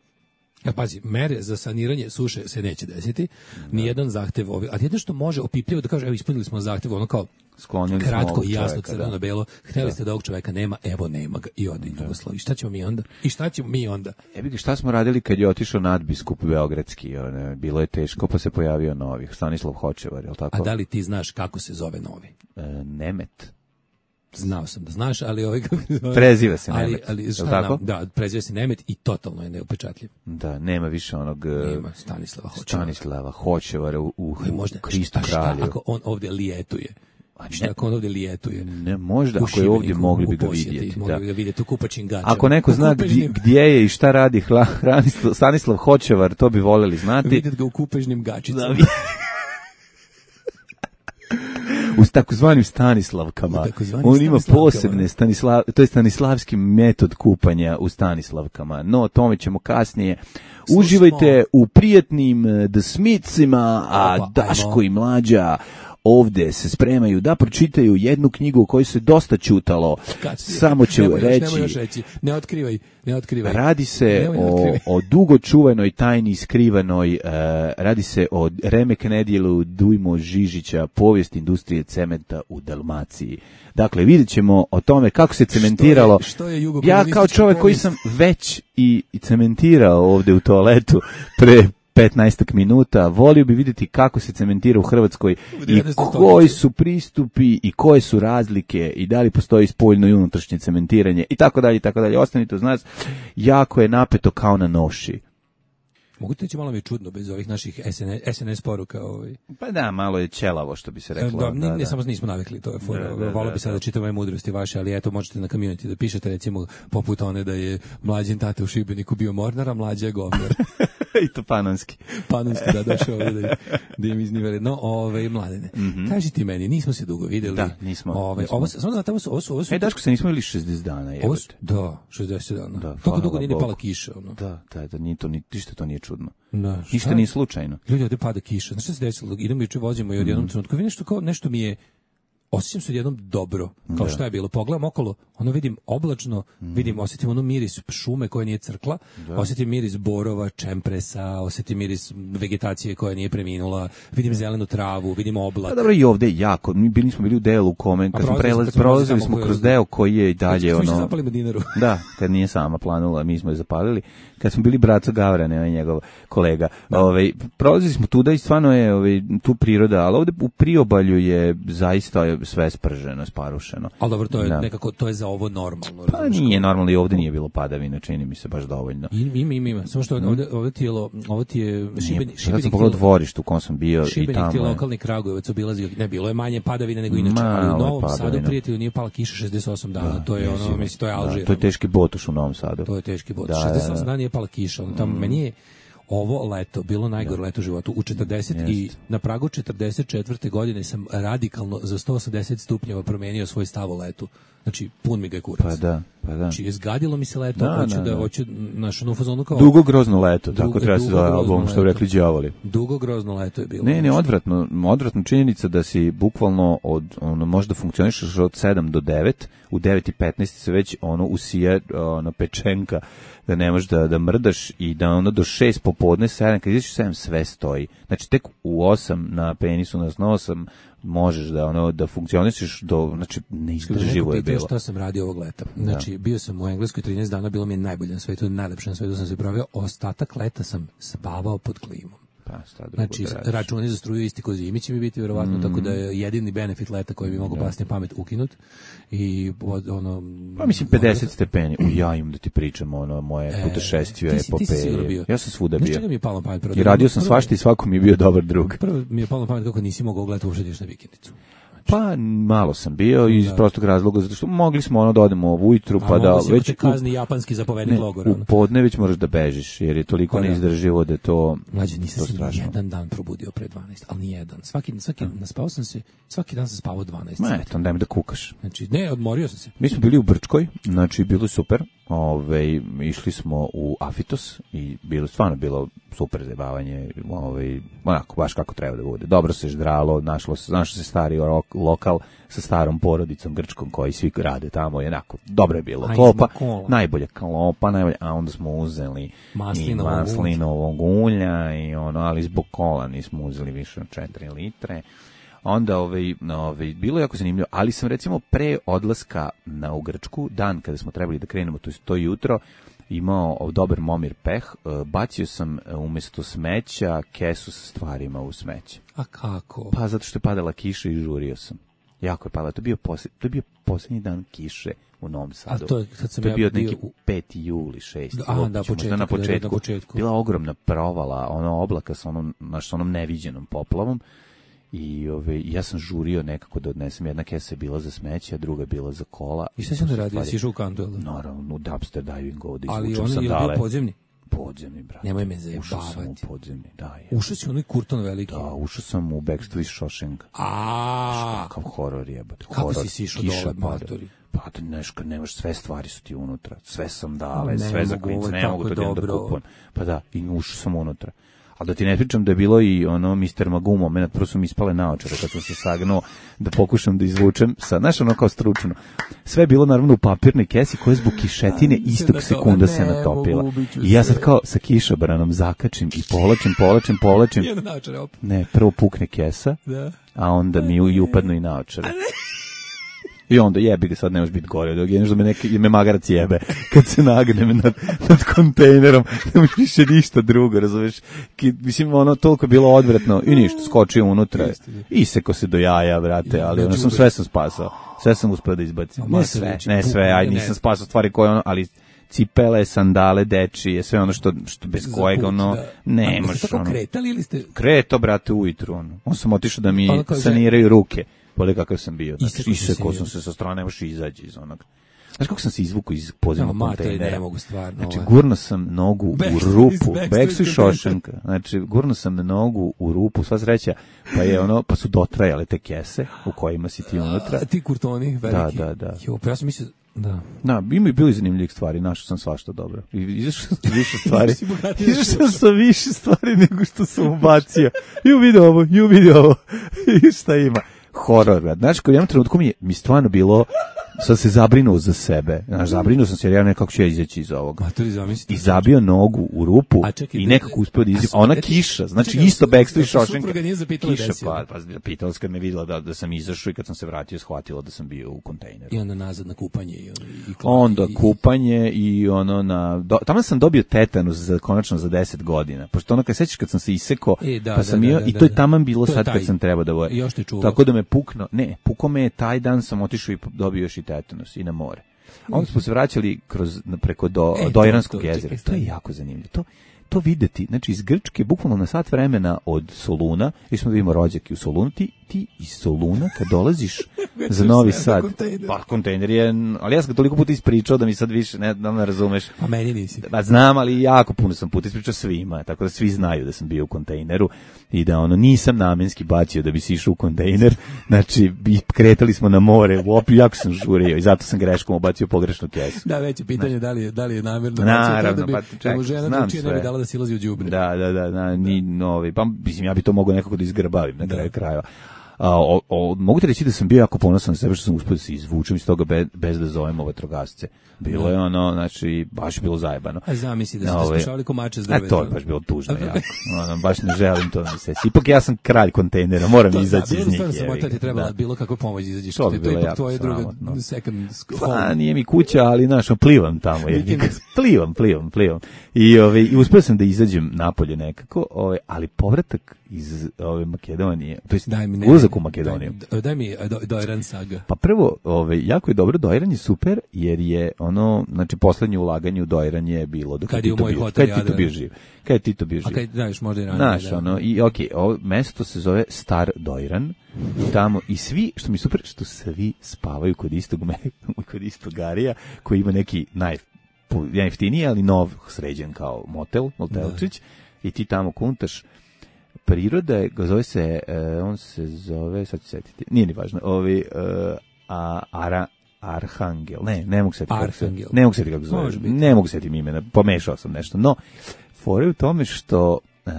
Ja, pazi, mere za saniranje suše se neće desiti, ni jedan zahtev ovi, ali jedno što može opipljivo da kaže, evo ispunili smo zahtev, ono kao sklonili kratko i jasno, crveno belo, hteli da. Ste da ovog čoveka nema, evo nema ga i ode u Jugoslaviju. I šta ćemo mi onda? I šta ćemo mi onda? Ebi ga, šta smo radili kad je otišao nadbiskup beogradski, one, bilo je teško, pa se pojavio novi, Stanislav Hočevar, je li tako? A da li ti znaš kako se zove novi? E, Nemet. Znao sam da znaš, ali ovaj preziva se ali, Nemet. Ali, šta tako? Nam, da, preziva se Nemet i totalno je neupečatljiv. Da, nema više onog nema Stanislava Hočevara. Stanislava Hočevara u, u, možda, u Kristu šta, kralju. Šta ako on ovdje lijetuje? A šta ako on ovdje lijetuje? Ne, možda, ako je ovdje mogli bi ga vidjeti. Mogli bi ga vidjeti u kupačim gaćama. Ako neko zna gdje, gdje je i šta radi hla, Stanislav Hočevar, to bi voleli znati. Vidjeti ga u kupežnim gačicama. u takozvanim Stanislavkama. On ima posebne Stanislav, to je stanislavski metod kupanja u Stanislavkama. No, o tome ćemo kasnije. Slušamo. Uživajte u prijatnim The Smithsima, a Opa, Daško ajmo. I Mlađa ovde se spremaju da pročitaju jednu knjigu o kojoj se dosta ćutalo. Samo ću nemoj reći, još, nemoj još reći. Ne otkrivaj, ne otkrivaj. Radi se o, o dugo čuvenoj tajni skrivanoj, uh, radi se o remek nedjelu Dujmo Žižića, povijest industrije cementa u Dalmaciji. Dakle, vidjet ćemo o tome kako se cementiralo. Što je, što je ja kao čovjek koji sam već i, i cementirao ovde u toaletu pre petnaest minuta, volio bi vidjeti kako se cementira u Hrvatskoj i koji su pristupi i koje su razlike i da li postoji spoljno i unutrašnje cementiranje i tako dalje i tako dalje. Ostanite uz nas, jako je napeto kao na noši. Mogu ti reći, malo mi je čudno bez ovih naših S N S poruka. Ovaj. Pa da, malo je ćelavo, što bi se reklo. Da, da, ne da. Samo nismo navikli, to je fora. Da, da, Volio da, bi sada da čitam ove mudrosti vaše, ali eto, možete na community da pišete, recimo, poput one da je Mlađin tate u Šibeniku bio mornar, a Mlađa je govnar. I to panonski. Panonski, da, došao ovdje da, da im izniveli. No, ove, Mladene, mm-hmm. kaži ti meni, nismo se dugo videli. Da, nismo. Ove, nismo. Ovo, samo znate, ovo su... Ovo su, ovo su e, Daško, se nismo ili šezdeset dana, je. Da, šezdeset dana. Da, toliko dugo nije pala kiša. Ono. Da, da, da, nije to, ništa to nije čudno. Da, ništa nije slučajno. Ljudi, ovdje pada kiša. Znaš šta se desilo? Idemo juče vozimo i od jednom mm. trenutku. Vi nešto, kao, nešto mi je... Osjećam se odjednom dobro, kao šta je bilo. Pogledam okolo, ono vidim oblačno, mm. vidim, osjetim ono miris šume koja nije crkla, da. Osjetim miris borova, čempresa, osjetim miris vegetacije koja nije preminula, vidim zelenu travu, vidim oblak. Da, dobro, i ovde jako. Mi bili smo bili u delu u kome, kad smo prelazili, prolazili smo kroz deo koji je i dalje kad ono. Smo zapalili dinaru. Da, kad nije sama planula, mi smo je zapalili. Kad smo bili Braco Gavrane, ovaj njegov kolega. Ovaj prolazili smo tuda i stvarno je ovaj tu priroda, al ovde u priobalju je zaista sve sprženo, sparušeno. Al dobro, to je da. Nekako to je za ovo normalno. Pa nije normalno i ovde nije bilo padavina, čini mi se baš dovoljno. Ima, ima, ima. Samo što ovde, ovde ti je, ovo ti je Šibenik, Šibenik. Ja sam pogledao dvorište u kom sam bio Šibenik, i tamo. Šibenik, lokalni Kragujevac obilazio, ne bilo je manje padavine nego inače, ali u Novom Sadu, prijatelju, nije pala kiša šezdeset osam dana. Da, to je ono, mislim, to je Alžir. Da, to je teški botuš u Novom Sadu. To je teški botuš. Da, šezdeset osam dana nije pala kiša. Ono, tamo, mm. meni je ovo leto bilo najgore da. leto u životu. U četrdeset Jest. I na pragu četrdeset četvrte godine sam radikalno za sto osamdeset stupnjeva promenio svoj stav o letu. Znači, pun mi ga je kurac. Pa da, pa da. Znači, izgadilo mi se leto, da, hoću da, da, da hoću našu novu fazonu kao... Dugo grozno leto, dugo, tako treba se zove album, što bi rekli đavoli. Dugo grozno leto je bilo. Ne, ne, odvratno, odvratno činjenica da si bukvalno od, ono, možda funkcionišeš od sedam do devet, u devet i petnaest se već ono usije ono, pečenka, da ne možeš da, da mrdaš i da ono do šest popodne, sedam, kad izaš sedam sve stoji. Znači, tek u osam na penisu, na osam možeš da ono da funkcionišeš do, znači neizdrživo je bilo. Šta sam radio ovog leta? Znači, da. bio sam u Engleskoj trinaest dana, bilo mi je najbolje na svetu, najlepše na svetu sam se proveo, ostatak leta sam spavao pod klimom. Pa, znači, računi za struju isti ko zimi će mi biti verovatno, mm. tako da je jedini benefit leta koji mi mogu da. pasti na pamet ukinut. I ono... Pa mislim pedeset ono, stepeni. U ja im da ti pričam ono, moje e, putešestvije, epopeje. Ja sam svuda bio. Mi je palo na pamet, prvo, I radio sam svašta i svako mi je bio dobar drug. Prvo mi je palo na pamet kako nisi mogao gledati uopšte ideš na vikendicu. Pa malo sam bio iz da. prostog razloga zato što mogli smo ono da odemo ujutru pa da već te kazni japanski zapovednik logora. U podne već možeš da bežiš jer je toliko pa neizdrživo da je to mlađe nisam se jedan dan probudio pre dvanaest, al ni jedan. Svaki svaki hmm. naspao sam se, svaki dan sam spavao dvanaest. Ma eto, daj mi da kukaš. Znači ne, odmorio sam se. Mi smo bili u Brčkoj, znači bilo super. Ove, išli smo u Afitos i bilo stvarno bilo super zabavanje, ovaj onako baš kako treba da bude. Dobro se ždralo, našlo se, našlo se stari rok, lokal sa starom porodicom grčkom koji svi rade tamo, jednako dobro je bilo. Klopa, najbolja klopa, najbolja, a onda smo uzeli maslinovog maslinovog ulja i ono, ali zbog kola nismo uzeli više od četiri litre. Onda ovaj, ovaj, bilo je jako zanimljivo, ali sam recimo pre odlaska na u Grčku, dan kada smo trebali da krenemo, to je to jutro, imao dobar Momir peh, bacio sam umjesto smeća kesu sa stvarima u smeće. A kako? Pa zato što je padala kiša i žurio sam. Jako je padala, to je bio, posled, to je bio posljednji dan kiše u Novom Sadu. A to, kad sam to je bio ja neki u... peti juli, šesti A, da, početak, na početku. na početku. Bila ogromna provala, ono oblaka sa onom, naš, onom neviđenom poplavom. I ove, ja sam žurio nekako da odnesem, jedna kesa je bila za smeće, a druga je bila za kola. I šta si onda radio, si išao u kantu? Naravno, u dumpster divingu ovdje ali izvučem sandale. Ali on je bio podzemni? Podzemni, brate. Nemoj me Ušao sam u zajebavati. podzemni, da. Je. Ušao si u onaj Kurton veliki. Da, ušao sam u Backstreet Shawshank. A, Kakav horor jebote. Kako Horor, si sišao kiša dole, pada. matori? Pa da nešto, nemaš, sve stvari su ti unutra. Sve sam dale, Ne sve za mogu, klince, ovo je ne tako mogu to da idem da dobro. kupujem. Pa da, i ušao sam unutra. Ali da ti ne pričam da je bilo i ono mister Magoo moment, prvo su mi ispale naočare kad sam se sagnuo da pokušam da izvučem sa, znaš ono kao stručno. Sve je bilo naravno u papirnoj kesi koja je zbog kišetine istog sekunda se natopila. I ja sad kao sa kišobranom zakačim i povlačim, povlačim, povlačim. Jedan naočar opet. Ne, prvo pukne kesa, Da. a onda mi i upadnu i naočare. I onda jebi ga, sad ne može biti gore, dok je nešto da me, neki, me magarac jebe kad se nagnem nad, nad kontejnerom, ne može više ništa drugo, razumeš? Ki, mislim, ono, toliko je bilo odvratno i ništa, skočio unutra, iseko se do jaja, brate, ali ono, sam, sve sam spasao, sve sam uspio da izbacim. Ne sve, ne sve, aj nisam spasao stvari koje ono, ali cipele, sandale, dečije, sve ono što, što bez kojega, ono, ne može. Ste tako kretali ili ste... Kreto, brate, ujutru, ono. On sam otišao da mi Ono kao saniraju ruke. Poli kakav sam bio. Znači, Isekao si se isekao i- sam se sa strane, ne možeš izaći iz onog. Znaš kako sam se izvukao iz podzemnog No, matori, kontejnera? ne mogu stvarno, Znači, ovo je- gurno sam nogu u Backstreet- rupu. Backstreet Backstreet kontejner. Shawshanka. Znači, gurno sam nogu u rupu, sva sreća, pa je ono, pa su dotrajale te kese u kojima si ti unutra. A ti kurtoni veliki. Da, da, da. Jo, pa ja sam mislio, da. Da, ima i bili zanimljivih stvari, našao sam svašta dobro. I izašao sam sa više stvari. Si bogatiji Izašao sam sa više stvari nego što sam ubacio. Ju vidi ovo, ju vidi ovo. I šta ima? Horor, brad. Znači, kod jednom trenutku mi je mi stvarno bilo, sam se zabrinuo za sebe. Znaš, zabrinuo sam se jer ja nekako ću ja izaći iz ovoga. Matori, zamislite. I zabio nogu u rupu A čekaj, i da- nekako uspeo da izađe. a A ona su- kiša, znači čekaj, isto a Backstreet su- a Shawshanka. supruga nije zapitala Kiša, desi, pa, pa pitala se kad me videla da, da sam izašao i kad sam se vratio shvatila da sam bio u kontejneru. I onda nazad na kupanje i, i, i Onda i- kupanje i ono na do, tamo sam dobio tetanus za konačno za deset godina. Pošto ono kad sećaš kad sam se isekao, E, da, pa sam da, bio da, i da, to je da. taman bilo To je sad taj. kad sam trebao da voje. I još te čuvao. Tako da me pukno, ne, pukao me je taj dan sam otišao i dobio još i tetanus i na more. A onda smo se vraćali kroz preko do E, to- Dojranskog to, jezera. čekaj, To je stani. jako zanimljivo. To to videti, znači iz Grčke bukvalno na sat vremena od Soluna, i smo da vidimo rođaki u Solunu, ti, ti iz Soluna kad dolaziš za Novi sve Sad, na kontejner. pa kontejner je, ali ja sam ga toliko puta ispričao da mi sad više ne, da me razumeš. A meni nisi. Pa znam, ali jako puno sam puta ispričao svima, tako da svi znaju da sam bio u kontejneru i da ono nisam namenski bacio da bi si išao u kontejner, znači bi kretali smo na more, uopće jako sam žurio i zato sam greškom obacio pogrešnu kesu. Da, već je pitanje da li je, da li je namjerno. Naravno, da bi, pa da čekaj, mu žena znam drugčije ne bi sve. dala da silazi u đubre. Da, da, da, da, ni novi, pa mislim ja bi to mogao nekako da izgrbavim na kraju krajeva. A, o, o, mogu ti reći da sam bio jako ponosan na sebe što sam uspio da se izvučem iz toga bez, bez da zovemo vatrogasce. Bilo je ono, znači, baš je bilo zajebano. A zamisli da ste Ove, spašavali komače s A drveta. to je baš bilo tužno jako. Ono, baš ne želim to da mi se. Ipak ja sam kralj kontejnera, moram To, izaći da, iz njih. bilo stvarno jebi sam ga, ti trebala da. bilo kakva pomoć izađeš. To bi To bilo je ipak jako tvoje druga sramotno. second Pa, home. nije mi kuća, ali znaš, plivam tamo. jebi ga. Vikend. plivam, plivam, plivam. I, ove, i uspio sam da izađem napolje nekako, ove, ali povratak iz ove Makedonije, to jest Daj mi ne. ulazak u Makedoniju. Daj, daj mi do, Dojran saga. Pa prvo, ovaj jako je dobro, Dojran je super jer je ono, znači poslednje ulaganje u Dojran je bilo dok Kad je je u Tito moj bio, hotel kad je Tito Jadran. bio živ. Kad je Tito bio A živ. kaj, znaš, možda i ranije. Znaš, da. ono, i okej, ovo mesto se zove Star Dojran, i tamo, i svi, što mi je super, što svi spavaju kod istog, me, kod istog Garija, koji ima neki naj, najjeftiniji, ali nov, sređen kao motel, motelčić, i ti tamo kuntaš. Priroda je, zove se, uh, on se zove, sad ću setiti, nije ni važno, ovi, uh, a, ara, Arhangel, ne, ne mogu setiti kako se, Arhangel. ne mogu setiti kako se zove, Može biti. ne mogu setiti imena, pomešao sam nešto, no, fora je u tome što uh,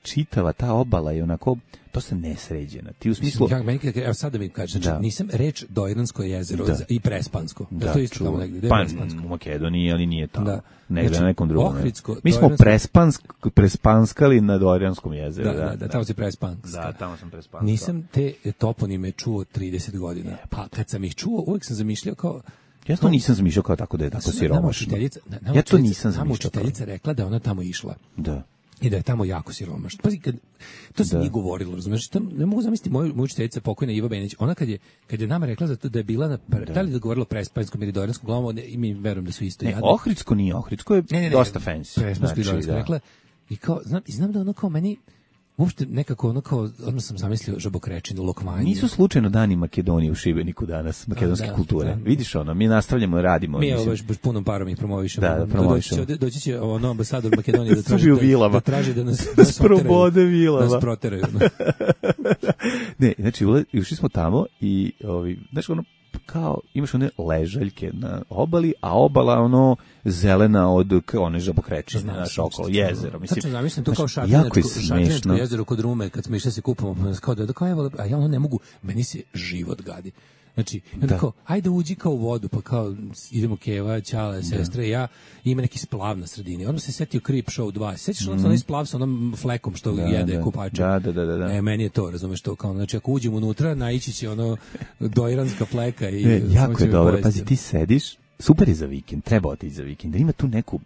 čitava ta obala je onako dosta nesređena, ti u smislu, Mislim, ja, meni, kad- evo sad da mi kažeš, znači, Da. nisam reč Dojransko jezero Da. i Prespansko. Da, da, to je isto čuo. tamo negdje. Gde je Pa Prespansko? u Makedoniji, ali nije tamo. Da. Negde Znači, na nekom drugom. Ohridsko, Mi smo Dojransko- prespansk, prespanskali na Dojranskom jezeru. Da, da, da, tamo si Prespansko. Da, tamo sam prespanskao. Nisam te toponime čuo trideset godina. Pa kad sam ih čuo, uvijek sam zamišljao kao... Ja to nisam zamišljao kao tako da je tako Nama siromašno. učiteljica- na- nama Ja to učiteljica- nisam Nama zamišljao. kao- učiteljica rekla da je ona tamo išla. Da. I da je tamo jako siromašno. Pazi, kad, to se Da. nije govorilo, razumiješ? Tam, ne mogu zamisliti moju, moju učiteljica pokojna Iva Benić, ona kad je, kad je nama rekla za to da je bila na, da, li da je govorila prespanskom ili dojranskom glavom, i mi verujem da su isto Ne, jadni. Ohridsko nije, Ohridsko je Ne, ne, ne, dosta fancy. Prespansko i dojransko da. rekla. I kao, znam, i znam da ono kao meni, uopšte nekako ono kao, odmah sam zamislio žabokrečinu, lokvanju. Nisu slučajno dani Makedonije u Šibeniku danas, makedonske da, kulture. da. Vidiš ono, mi nastavljamo, radimo. Mi evo baš, baš punom parom ih promovišemo. Da, da, promovišemo. Doći će, doći će ono ambasador Makedonije da traži, da, da traži da nas, da nas proteraju. Da nas proteraju. Ne, znači, ušli smo tamo i, ovi, znaš, ono, kao, imaš one ležaljke na obali, a obala ono zelena od one žabokrećine, znaš, okolo jezero. Mislim, tačno zamislim to kao šartinačko jezero kod Rume, kad smo išli se kupamo, kao da, kao evo, a ja ono ne mogu, meni se život gadi. Znači, onda kao, ajde uđi kao u vodu, pa kao idemo Keva, Ćale, sestre, ja, ima neki splav na sredini. Onda se setio Creep Show dva. Sećaš mm. onaj splav sa onom flekom što da, jede da, kupača? Da, da, da, da. E, meni je to, razumeš to, kao, znači, ako uđem unutra, naići će ono dojranska fleka i... Ne, jako je dobro, pazi, ti sediš, super je za vikend, treba otići za vikend, ima tu neku,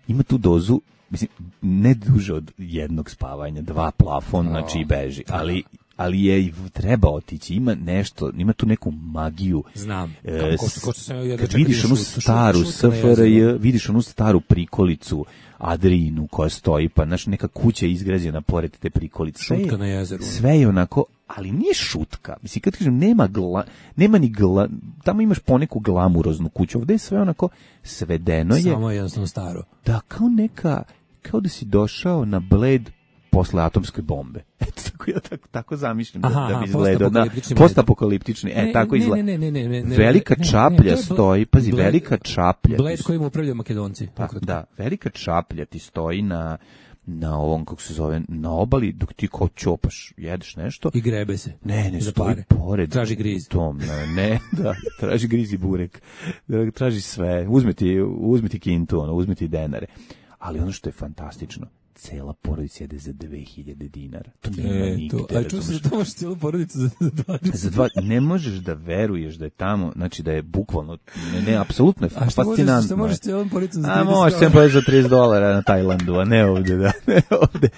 ima tu dozu, mislim, ne duže od jednog spavanja, dva plafon, znači i beži, ali... ali je treba otići, ima nešto, ima tu neku magiju. Znam. E, ko, ko, ko sam ja kad vidiš onu staru S F R J, vidiš onu staru prikolicu Adriinu koja stoji, pa znaš, neka kuća je izgrađena pored te prikolice. Šutka na jezeru. Sve je onako, ali nije šutka. Mislim, kad kažem, nema, gla, nema ni gla, tamo imaš poneku glamuroznu kuću, ovdje je sve onako svedeno je. Samo je jednostavno staro. Da, kao neka, kao da si došao na Bled posle atomske bombe. Eto, tako ja tako, tako zamišljam aha, da, da bi izgledao. Postapokaliptični. Postapokaliptični, e, ne, tako izgleda. Ne, ne, ne, ne, ne, velika ne, čaplja ne, ne, stoji, pazi, Bled, velika čaplja. Bled kojim upravljaju Makedonci. Da, da, velika čaplja ti stoji na, na ovom, kako se zove, na obali, dok ti kao ćopaš, jedeš nešto. I grebe se. Ne, ne, stoji pored. Traži griz. Tom, ne, ne, da, traži griz i burek. Traži sve. Uzmi ti, uzmi ti kintu, ono, uzmi ti denare. Ali ono što je fantastično, cela porodica jede za dve hiljade dinara. To nema e, nigde. To, a čuo se da to možeš celu porodicu za, za dvadeset. Za dva, ne možeš da veruješ da je tamo, znači da je bukvalno, ne, ne, apsolutno je a fascinantno. A što možeš celom porodicom za trideset dolara? A možeš sem za trideset dolara na Tajlandu, a ne ovde, da, ne ovde.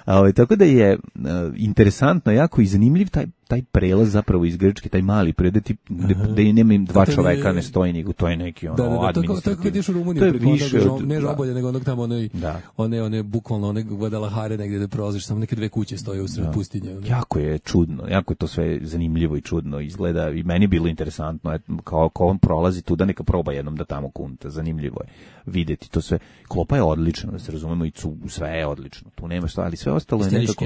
A ovaj, tako da je uh, interesantno, jako i zanimljiv taj taj prelaz zapravo iz Grčke, taj mali predaj tip gde, gde nema dva čoveka ne stoji, nego to je neki ono da, da, da, administrativni. To je kad ideš u Rumuniju, to je više onog, od, ne Žobolje, nego onog tamo, onaj, da. one, one, bukvalno, one Guadalajare negdje da prolaziš, samo neke dve kuće stoje u sred pustinje. One. Jako je čudno, jako je to sve zanimljivo i čudno izgleda i meni je bilo interesantno, et, kao ko on prolazi tu da neka proba jednom da tamo kunta, zanimljivo je videti to sve. Klopa je odlična, da se razumemo, i cu, sve je odlično, tu nema šta, ali sve ostalo je nekako...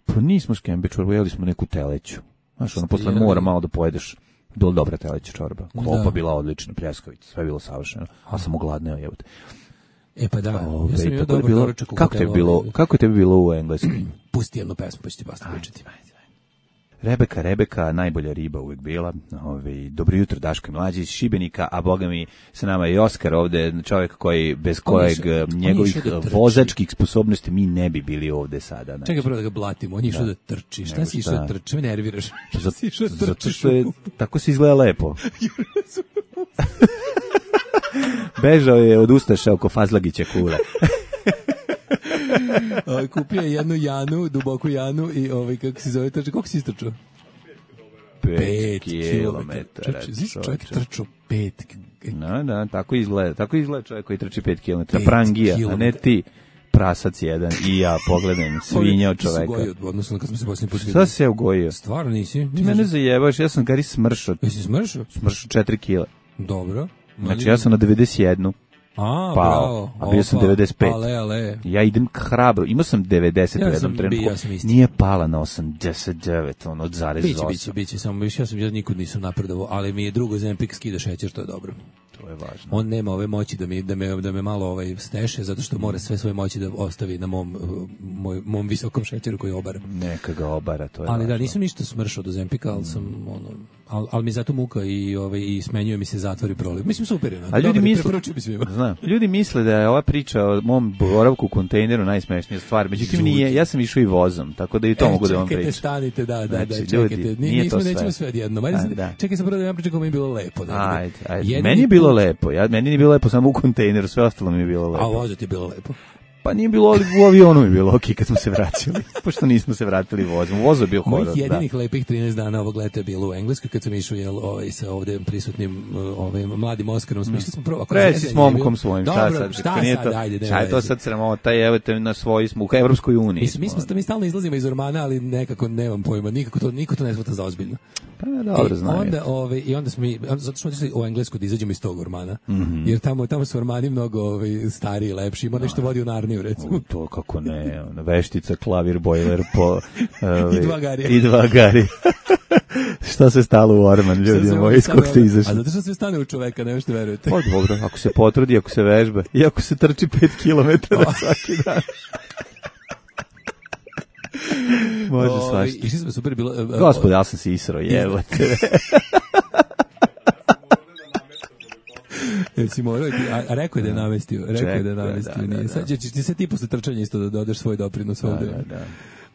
Pa nismo škembe čorbu, jeli smo neku teleću. Znaš, ono, posle mora malo da pojedeš do dobra teleća čorba. Klopa bila odlična, pljeskavica, sve je bilo savršeno. A sam ogladneo, jebote. E pa da, Ove, ja sam imao dobar doručak u kako te bilo, kako te bi bilo u engleskom? Pusti jednu pesmu, pa ću ti basta pričati. Rebeka, Rebeka, najbolja riba uvijek bila. Ove, dobro jutro, Daško i Mlađi iz Šibenika, a boga mi sa nama je i Oskar ovde, čovjek koji, bez kojeg njegovih vozačkih sposobnosti mi ne bi bili ovde sada. Znači. Čekaj prvo da ga blatimo, on je išao da trči. Šta si išao da trči? Me nerviraš. Zato što je, tako se izgleda lepo. Bežao je od ustaša oko Fazlagića kule. Kupio je jednu janu, duboku janu i ovaj, kako se zove, trči, koliko si istrčao? Pet kilometara. Čovjek trčao pet. No, da, tako izgleda, tako izgleda čovjek koji trči pet kilometara. Prangija, a ne ti prasac jedan i ja, pogledam, svinja od čoveka. Ti si ugojio, odnosno kad smo se posljednji put vidjeli. Šta se ugojio? Stvarno nisi? Ti mene zajebaš, ja sam gari smršao. Jesi smršao? Smršao četiri kila. Dobro. Znači ja sam na devedeset jedan. A, pao, bravo. A bio sam devedeset pet. Ale, ale. Ja idem hrabro. Imao sam devedeset ja u jednom trenutku. Ja nije pala na osamdeset devet, ono, od zarez osam. Biće, biće, biće. Samo više, ja sam ja nikud nisam napredovao, ali mi je drugo Zempik skida šećer, to je dobro. To je važno. On nema ove moći da mi da me da me malo ovaj steše, zato što mora sve svoje moći da ostavi na mom moj, mom visokom šećeru koji obara. Neka ga obara, to je. Ali važno. Da, nisam ništa smršao do Zempika, al sam mm. ono al, al mi zato muka i ovaj i smenjuje mi se zatvor i proliv. Mislim super je. A ljudi misle, znam, ljudi misle da je ova priča o mom boravku u kontejneru najsmešnija stvar. Međutim nije, ja sam išao i vozom, tako da i to e, mogu da vam pričam. Čekajte, stanite, da, da, znači, da, čekajte. Ljudi, Ni, nije nismo to nećemo sve odjednom. Ajde, da. Čekaj se prvo da vam pričam kako mi je bilo lepo. Da, ajde, ajde. Meni je bilo lepo. Ja meni nije bilo lepo samo u kontejneru, sve ostalo mi je bilo lepo. A voza ti je bilo lepo. Pa nije bilo, ali u avionu je bilo okej kad smo se vraćali, pošto nismo se vratili vozom. Voz je bio horor. Mojih jedinih da. lepih trinaest dana ovog leta je bilo u Engleskoj, kad sam išao jel, ovaj, sa ovdje prisutnim ovaj, mladim Oskarom. Smišli smo prvo. Reci s momkom svojim, šta dobro, sad? Šta sad, sad, ajde, šta je to sad sramota, evo te na svoji smo u Evropskoj uniji. Mi, mi, smo, mi stalno izlazimo iz ormana, ali nekako nemam pojma, nikako to, niko to ne shvata za ozbiljno. Pa dobro, znam. Onda, ovaj, i onda smo mi, zato smo otišli u Englesku da izađemo iz tog ormana, mm-hmm. jer tamo, tamo su ormani mnogo ovaj, stariji i lepši, ima nešto vodi u Narniju, recimo. U, to kako ne, ona veštica, klavir, bojler, po... Ovaj, I dva garija. I dva garija. Šta se stalo u orman, ljudi moji, iz kog ste izašli? A zato što se stane u čoveka, ne što verujete. Pa dobro, ako se potrudi, ako se vežba, i ako se trči pet kilometara svaki dan. Može svašta. Išli smo super bilo... Uh, Gospod, ja sam se isro, jevo te. Jel si morao, a, a rekao je da je namestio, rekao je da je namestio. Da, da, da. Sad ćeš ti se ti posle trčanja isto da dodaš svoj doprinos ovde. Da, da, da.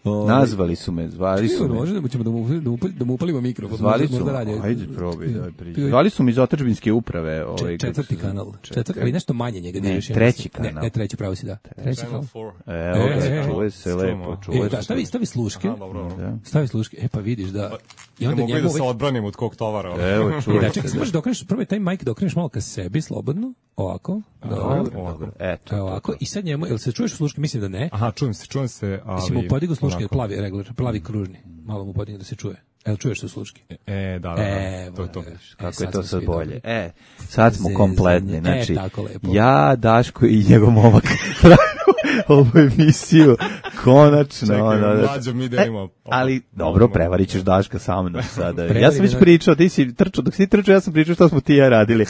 O, nazvali su me, zvali su me. Može da ćemo da mu, da mu, da mu upalimo mikro. Zvali su me, ajde probaj, daj priđi. Zvali su me iz otadžbinske uprave. Ovaj, četvrti kanal, četvrti, ali nešto manje njega diriš. Ne, treći kanal. Ne, ne, treći pravo si da. Treći kanal. Evo ga, čuje se lepo, čuje se. Stavi, stavi sluške, stavi sluške, e pa vidiš da... I onda njemu da se odbranim od kog tovara. Evo, čuje se. Čekaj, možeš da okreneš, prvo taj mic da okreneš malo ka sebi, slobodno, ovako. Dobro, eto. Ovako, i sad njemu, jel se čuješ u sluške, mislim da ne. Aha, čujem se, čujem se, ali... Mislim, mu podigu sluške, plavi regler, plavi kružni, malo mu podigne da se čuje. Jel čuješ su sluške? E, da, da, da, to je to. Kako je to sad bolje. E, sad smo kompletni, znači, e, tako lepo. Ja, Daško i njegov momak ovu emisiju, konačno. Čekaj, ono, mlađo, mi delimo. E, ali, dobro, prevarit ćeš Daška sa mnom sada. Ja sam već pričao, ti si trčao, dok si trčao, ja sam pričao što smo ti ja radili.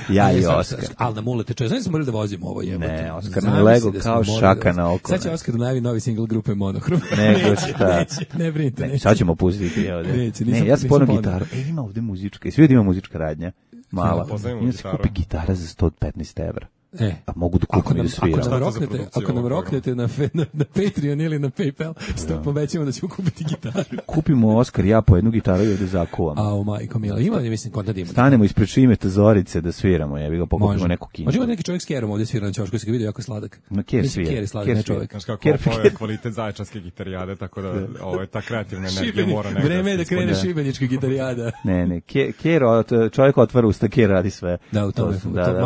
Ja i Oskar. Ali na mulete čuje. Znači smo morali da vozimo ovo jebote. Ne, Oskar nam je lego kao šaka na oko. Sad će Oskar najavi novi single grupe Monohrom. Nego šta. Ne brinite. Ne, sad ćemo pustiti ovde. Ne, ja sam ponao gitaru. E, ima ovde muzička. I svi ima muzička radnja. Mala. Ima se kupi gitara za sto petnaest evra. E, a mogu da kupim i da sviram. Ako nam roknete, ako nam roknete na, na, na Patreon ili na PayPal, sto povećamo da ćemo kupiti gitaru. Kupimo Oskar, ja po jednu gitaru i ovde zakuvamo. A, o majko mila, ima li mislim konta da ima? Stanemo ispred Šimeta Zorice da sviramo, ja bih ga pokupimo neku kinu. Može neki čovjek s kerom ovde svira na ćošku, se ga vidio jako sladak. Na ker svira. Ker je sladak, ne čovjek. Znaš kako ovo je kvalitet zaječarske gitarijade, tako da ovo je ta kreativna energija mora nekada. Vreme je da krene šibenička gitarijada. Ne, ne, ker, čovjek otvara usta, ker radi sve. Da, u tome,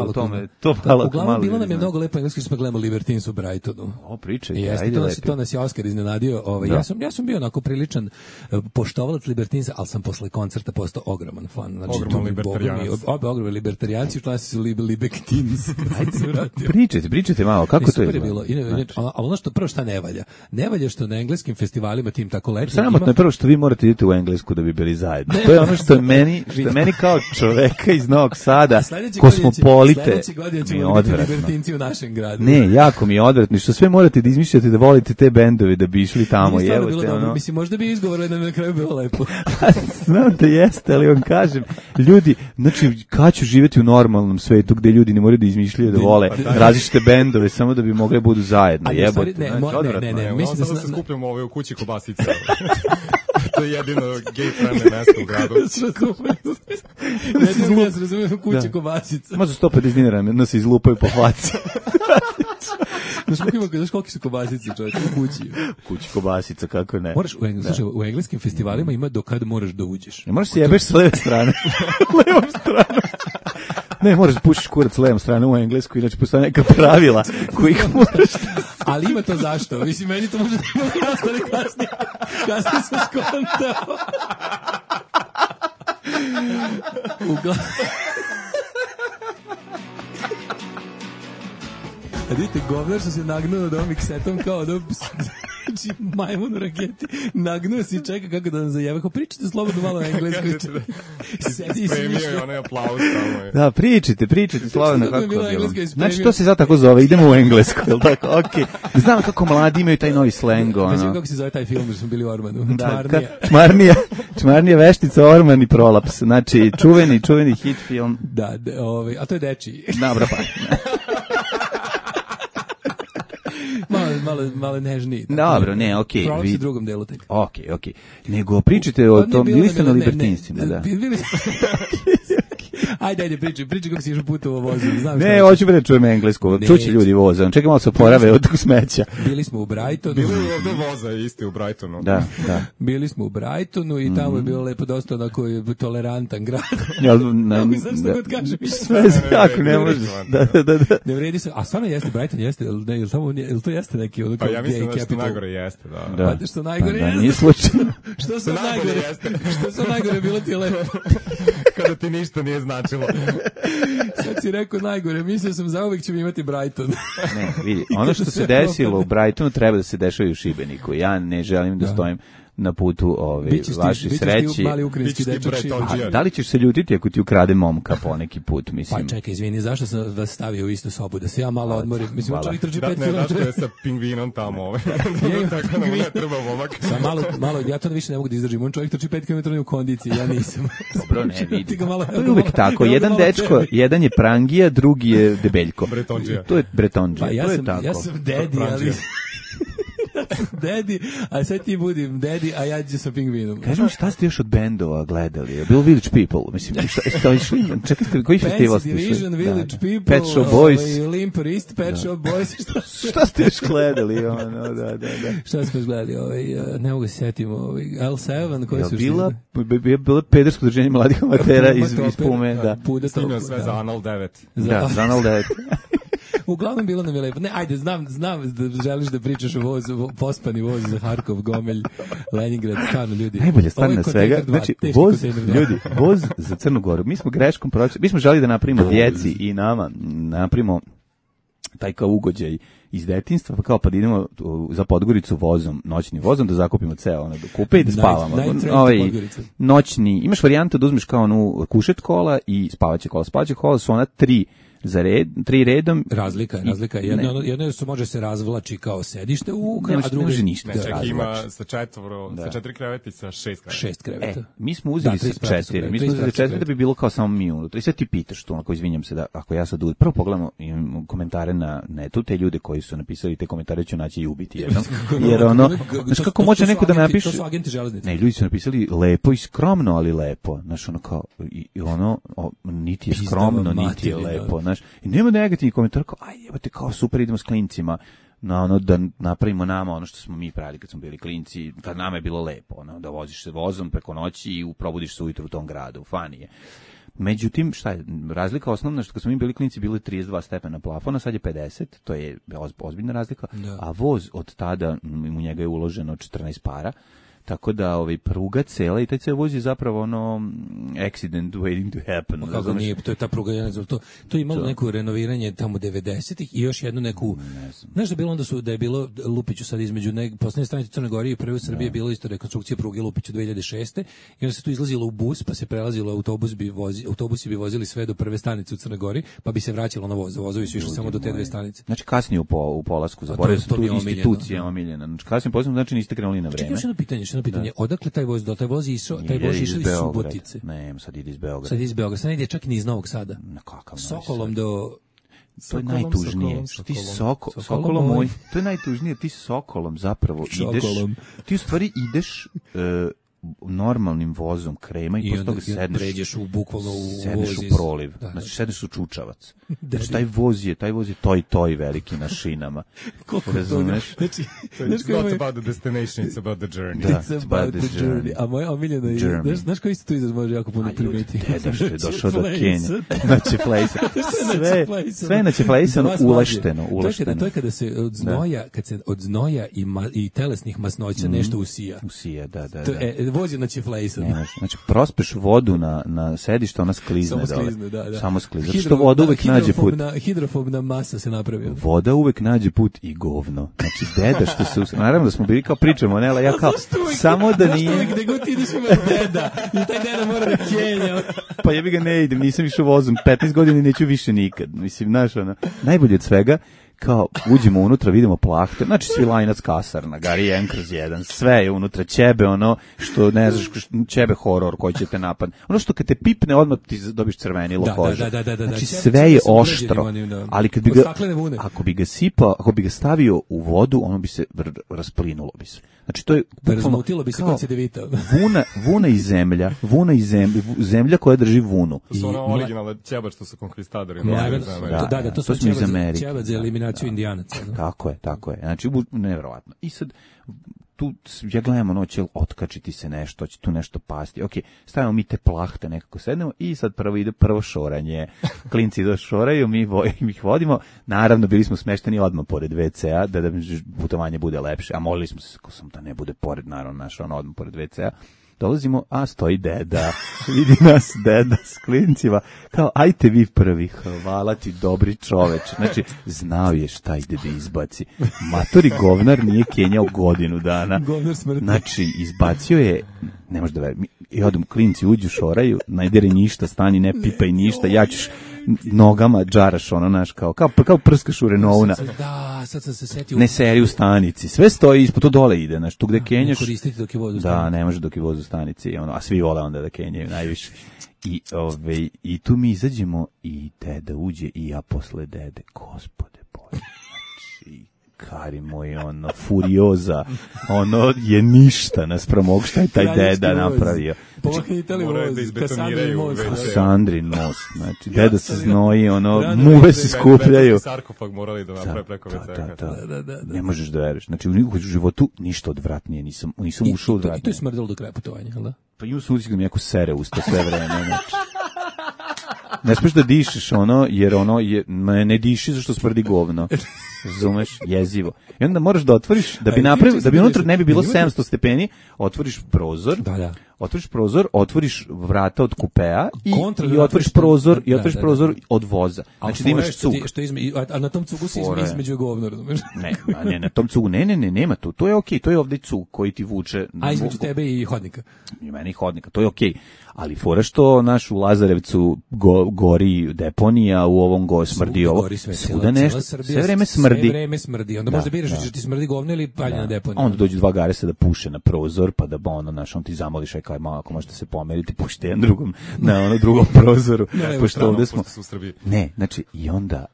u tome, to malo. Uglavnom bilo nam je mnogo lepo engleski, smo gledamo Libertines u Brightonu. O, pričajte, jeste, ajde to lepi. Nas, to nas je Oskar iznenadio. Ovaj, ja, sam, ja sam bio onako priličan uh, poštovalac Libertinesa, ali sam posle koncerta postao ogroman fan. Znači, ogroman libertarijanac. Obe ogromni libertarijanci, u klasi su Libe Libertines. Pričajte, pričajte malo, kako to je bilo? Ali ono što, prvo šta ne valja? Ne valja što na engleskim festivalima tim tako lepo. Sramotno je prvo što vi morate idete u Englesku da bi bili zajedno. To je ono što je meni, što je meni kao čoveka iz Novog Sada, kosmopolite. Sledeće godine ćemo biti libertinci u našem gradu. Ne, jako mi je odvratno što sve morate da izmišljate da volite te bendove da bi išli tamo, jebote ono. Mislim možda bi izgovorili da na kraju bilo lepo. Znam da jeste, ali vam kažem, ljudi, znači kad ću živjeti u normalnom svetu gde ljudi ne moraju da izmišljaju da vole različite bendove samo da bi mogli budu zajedno, jebote. Ne, ne, ne, mislim da se skupljamo ovdje u kući Kobasice. To je jedino gay-friendly mesto u gradu. Ne, ja se razumijem u kući Kobasica. Možda sto pedeset dinara nas izlupaju po faci. Znaš koliki su kobasice, čovječ, u kući? U kući kobasica, kako ne. Moraš, u, engl, slušaj, u engleskim festivalima ima do kada moraš da uđeš. Ne moraš se jebeš s leve strane. Levom strane. Ne, moraš da pušiš kurac s levom strane u englesku, inače postoje neka pravila kojih moraš da... Ali ima to zašto? Mislim, meni to može da ima jasno, ali kasnije, kasnije sam skontao. Uglavnom... A vidite, govnar što se nagnuo od ovom miksetom kao da znači majmun u raketi, nagnuo se i čeka kako da nam zajeve. Ko pričate slobodno malo englesko. Spremio je onaj aplauz tamo. Da, pričajte, pričajte slobodno kako je bilo. Znači to se sad tako zove, idemo u englesko, jel tako? Okej. Znam kako mladi imaju taj novi slang, ono. Znači kako se zove taj film, jer smo bili u Ormanu. Čmarnija. Čmarnija, Čmarnija, Veštica, Orman i Prolaps. Znači, čuveni, čuveni hit film. Da, ovaj, a to je dečiji. Dobro, pa. malo, malo, malo nežniji. Dobro, ne, okej. Prolaps vi... u drugom delu tek. Okej, okej. Nego pričajte o tom, bili ste na Libertinsima, da. Bili Ajde, ajde, pričaj, pričaj kako si išao putovo vozom. Znam ne, hoću da čujem englesko. Čuće ljudi voza. Čekaj malo se porave od smeća. Bili smo u Brightonu. Bili je ovde voza isti u Brightonu. Da, da. Bili smo u Brightonu i tamo je bilo lepo dosta onako tolerantan grad. Ja, na, ne znam što god kažem. Sve jako ne može. Da, da, da, da. Ne vredi se. A stvarno jeste Brighton, jeste, ne, jel tamo jel to jeste neki ono pa ja mislim da što najgore jeste, da. Da. Pa što najgore pa, jeste. Da, nije slučajno. Što se najgore jeste. Što se najgore bilo ti je lepo. Kada ti ništa nije značilo. Sad si rekao najgore, mislio sam zauvek ćemo imati Brighton. Ne, vidi, ono što se desilo u Brightonu treba da se dešava i u Šibeniku. Ja ne želim da, da. stojim na putu ove vaše sreći. A, da li ćeš se ljutiti ako ti ukrade momka poneki put, mislim? Pa čekaj, izvini, zašto sam vas stavio u istu sobu, da se ja malo odmorim? Mislim, čovjek trči pet kilometara. Da, ne, da, sa pingvinom tamo, ovaj. Tako da mu ne treba momak. Sa malo, malo, ja to više ne mogu da izdržim. On čovjek trči pet kilometara u kondiciji, ja nisam. Dobro, ne vidi. To je uvijek tako. Jedan dečko, jedan je prangija, drugi je debeljko. Bretonđija. To je bretonđija. Pa ja to je sam, tako. ja sam dedi, ali... Dedi, a sad ti budim dedi, a ja ću sa pingvinom. Kaži mi šta ste još od bendova gledali? Je bilo Village People? Mislim, šta, šta išli? Čekaj, koji festival ste išli? Fancy Division, Village da, People, Pet Shop Boys. Limp Wrist, Pet Shop Boys. Šta, šta ste još gledali? Ono, da, da, da. Šta smo još gledali? Ovaj, ne mogu se setimo. Ovaj, L sedam, koji su bila, je bilo pedersko udruženje mladih amatera iz, iz Pume. Da. Snimio sve za Anal devet. Da, za Anal devet. Uglavnom bilo nam je lepo. Ne, ajde, znam, znam da želiš da pričaš o vozu, pospani voz za Harkov, Gomelj, Leningrad, stvarno ljudi. Najbolje stvar na svega, znači voz, ljudi, voz za Crnu Goru. Mi smo greškom pročeli, mi smo želi da napravimo djeci i nama, napravimo taj kao ugođaj iz detinjstva, pa kao pa da idemo za Podgoricu vozom, noćnim vozom, da zakupimo ceo ono, do kupe i da spavamo. Ovaj, noćni, imaš varijantu da uzmeš kao onu kušet kola i spavaće kola. Spavaće kola su ona tri za red, tri redom. Razlika, razlika. Jedno, jedno su može se razvlači kao sedište u, ne, a drugo može ništa. Ne, čak ima sa četvoro, da. sa četiri kreveta i sa šest kreveta. Šest kreveta. E, mi smo uzeli da, sa četiri. Mi smo uzeli sa četiri da bi bilo kao samo mi unutra. I sad ti pitaš tu, onako izvinjam se da ako ja sad prvo pogledamo imam komentare na netu, te ljude koji su napisali te komentare ću naći i ubiti jednom. Jer ono, znaš kako može neko da napiše? To su agenti železnice. Ne, ljudi su napisali lepo i skromno, ali lepo. Znaš, ono kao, i ono, niti je skromno, niti je lepo. Znaš, i nema negativnih komentara kao, aj, jebate, kao super, idemo s klincima na ono da napravimo nama ono što smo mi pravili kad smo bili klinci, kad nama je bilo lepo, ono, da voziš se vozom preko noći i probudiš se ujutru u tom gradu, fani je. Međutim, šta je, razlika osnovna što kad smo mi bili klinci bilo je trideset dva stepena plafona, sad je pedeset, to je ozbiljna razlika, da. A voz od tada, u njega je uloženo četrnaest para, tako da ovaj pruga cela i taj ceo voz je zapravo ono accident waiting to happen. Pa kako nije, to je ta pruga, ja ne znam, to, to je imalo to. Neko renoviranje tamo devedesetih i još jednu neku, ne znam. Znaš da bilo onda su, da je bilo Lupiću sad između nek, poslednje stanice Crne Gore i prve u Srbiji je bilo isto rekonstrukcija pruge Lupiću dve hiljade šeste i onda se tu izlazilo u bus, pa se prelazilo autobus bi vozi, autobusi bi vozili sve do prve stanice u Crnoj Gori, pa bi se vraćalo na voz, vozovi su išli samo do te dve stanice. Znači kasnije u, po, u polasku, zaboravio sam tu institucija omiljena. Znači kasnije posebno znači niste krenuli na vreme. Čekaj, pitanje, što pitanje, odakle taj voz do taj voz išao, taj voz išao iz Subotice. Ne, sad ide iz Beograda. Sad ide iz Beograda, sad ide čak ni iz Novog Sada. Na kakav Sokolom do to je najtužnije. Sokolom, ti soko, sokolom, sokolom moj. To je najtužnije, ti sokolom zapravo ideš. Sokolom. Ti u stvari ideš uh, normalnim vozom krema i, I posle toga sedneš, pređeš u bukvalno u sedneš voz u proliv, da, znači sedneš u čučavac. Znači taj voz je, taj voz je toj toj veliki na šinama. Razumeš? Znači, it's not about the destination, it's about the journey. Da, it's about the journey. journey. A moja omiljena je, znaš, znaš koji isto tu izraz može jako puno primeti? Deda što je došao do Kenije. Znači, plejsa. Sve, sve na Čeflejsanu ulešteno, ulešteno. To je kada se od znoja, kad se od znoja i, ma, i telesnih masnoća mm. nešto usija. Usija, da, da, to, da. E, vozi na Čeflejsanu. Znači, prospeš vodu na, na sedište, ona sklizne. Samo sklizne, da, da. Samo sklizne. Zato što voda uvek nađe put. Hidrofobna masa se napravila. Voda uvek nađe put i govno. Znači, deda što se... Us... Naravno da smo bili kao pričamo, Nela, ja kao... Samo da nije... Zašto uvek gde god ideš imaš deda? I taj deda mora da kenja. Pa jebi ga ne idem, nisam išao vozom. petnaest godina neću više nikad. Mislim, znaš, ono... Najbolje od svega, kao uđemo unutra, vidimo plahte, znači Svilajnac kasarna, Gari jedan kroz jedan, sve je unutra, ćebe ono što ne znaš, ćebe horor koji će te napad. Ono što kad te pipne odmah ti dobiš crvenilo Da, kože. da, da, da, da, znači ćebe- sve ćebe je su oštro, uređeni onim, da. ali kad bi Od ga, staklene vune. ako bi ga sipao, ako bi ga stavio u vodu, ono bi se vr- rasplinulo bi se. Znači to je bukvalno Razmutilo bi se kao kad se devita. Vuna, vuna i zemlja, vuna i zemlja, zemlja koja drži vunu. To su ono I- originalne ćeba što su konkvistadori. Ne, nosili da, za da. Ameriku. da, da, to to su smo iz ćevac za- Amerike. ćevac za eliminaciju indijanaca. no. Tako je, tako je. Znači, bu- nevjerovatno. I sad, tu, ja gledam ono, će li otkačiti se nešto, će tu nešto pasti. Ok, stavimo mi te plahte, nekako sednemo i sad prvo ide prvo šoranje. Klinci do šoraju, mi, vo, mi ih vodimo. Naravno, bili smo smešteni odmah pored ve ce a, da, da putovanje bude lepše. A molili smo se, ko sam da ne bude pored, naravno, naš, ono, odmah pored ve ce a. Dolazimo, a stoji deda, vidi nas deda s klincima, kao, ajte vi prvi, hvala ti, dobri čoveč. Znači, znao je šta ide da izbaci. Matori govnar nije kenjao godinu dana. Govnar smrti. Znači, izbacio je, ne možeš da veri, i odem, klinci uđu, šoraju, najdere ništa, stani, ne pipaj ništa, ja ćeš nogama džaraš, ono, naš, kao, kao, kao prskaš u Renault-na. Da, sad sam se setio. Ne seri u stanici, sve stoji ispod, to dole ide, znaš, tu gde Ne kenjaš. koristiti dok je vodu Da, stavio. ne može dok je voz u stanici, ono, a svi vole onda da kenjaju najviše. I, ove, i tu mi izađemo i deda uđe i ja posle dede, gospode Bože, znači, kari moj, ono, furioza, ono je ništa naspram ovog šta je taj Kraljevski deda voz. napravio. Pomahnite li Moraju voz, da izbetoniraju Kasandrin most. ve ce. Sandrin most, znači, deda se znoji, ono, Rano muve večer, se Betonski skupljaju. sarkofag morali da naprave preko ve ce. Da, da, da. Da, da, da. Ne možeš da veriš. Znači, u nikakvom životu ništa odvratnije, nisam, nisam I, ušao i, to, I to je odvratnije. smrdelo do kraja putovanja, jel da? Pa imao sam utisak da mi jako sere usta sve vreme, znači. Ne smiješ da dišeš ono, jer ono je, ne, ne diši zašto smrdi govno. Razumeš? Jezivo. I onda moraš da otvoriš, da bi A, napravio, juče da bi sam unutra vidio- ne bi bilo imate- sedamsto stepeni, otvoriš prozor, Da, da. otvoriš prozor, otvoriš vrata od kupea i, Kontra i vrata otvoriš što- prozor, i da, otvoriš da, da. prozor od voza. A Znači da fora je imaš što cug. ti- Što izme, a, a na tom cugu se Fora je. između govno, razumeš? Ne, a ne, na tom cugu, ne, ne, ne, nema tu. To je okej, to je ovde cug koji ti vuče. A između tebe i hodnika. I meni hodnika, to je okej. Ali fora što naš u Lazarevcu go, gori deponija, u ovom go smrdi ovo. Gori sve, Svuda cijela- nešto, cijela Srbija, sve vreme smrdi. Sve vreme smrdi. Onda Da, možda biraš da. da ti smrdi govno ili palje na deponiju. Onda dođu dva garesa da puše na prozor, pa da ono, znaš, on ti zamoliš, aj kao, malo, ako možete se pomeriti, pušite jedan drugom, na ono drugom prozoru. Ne, pošto ovde smo... Pošto su u Srbiji. Ne, znači, i onda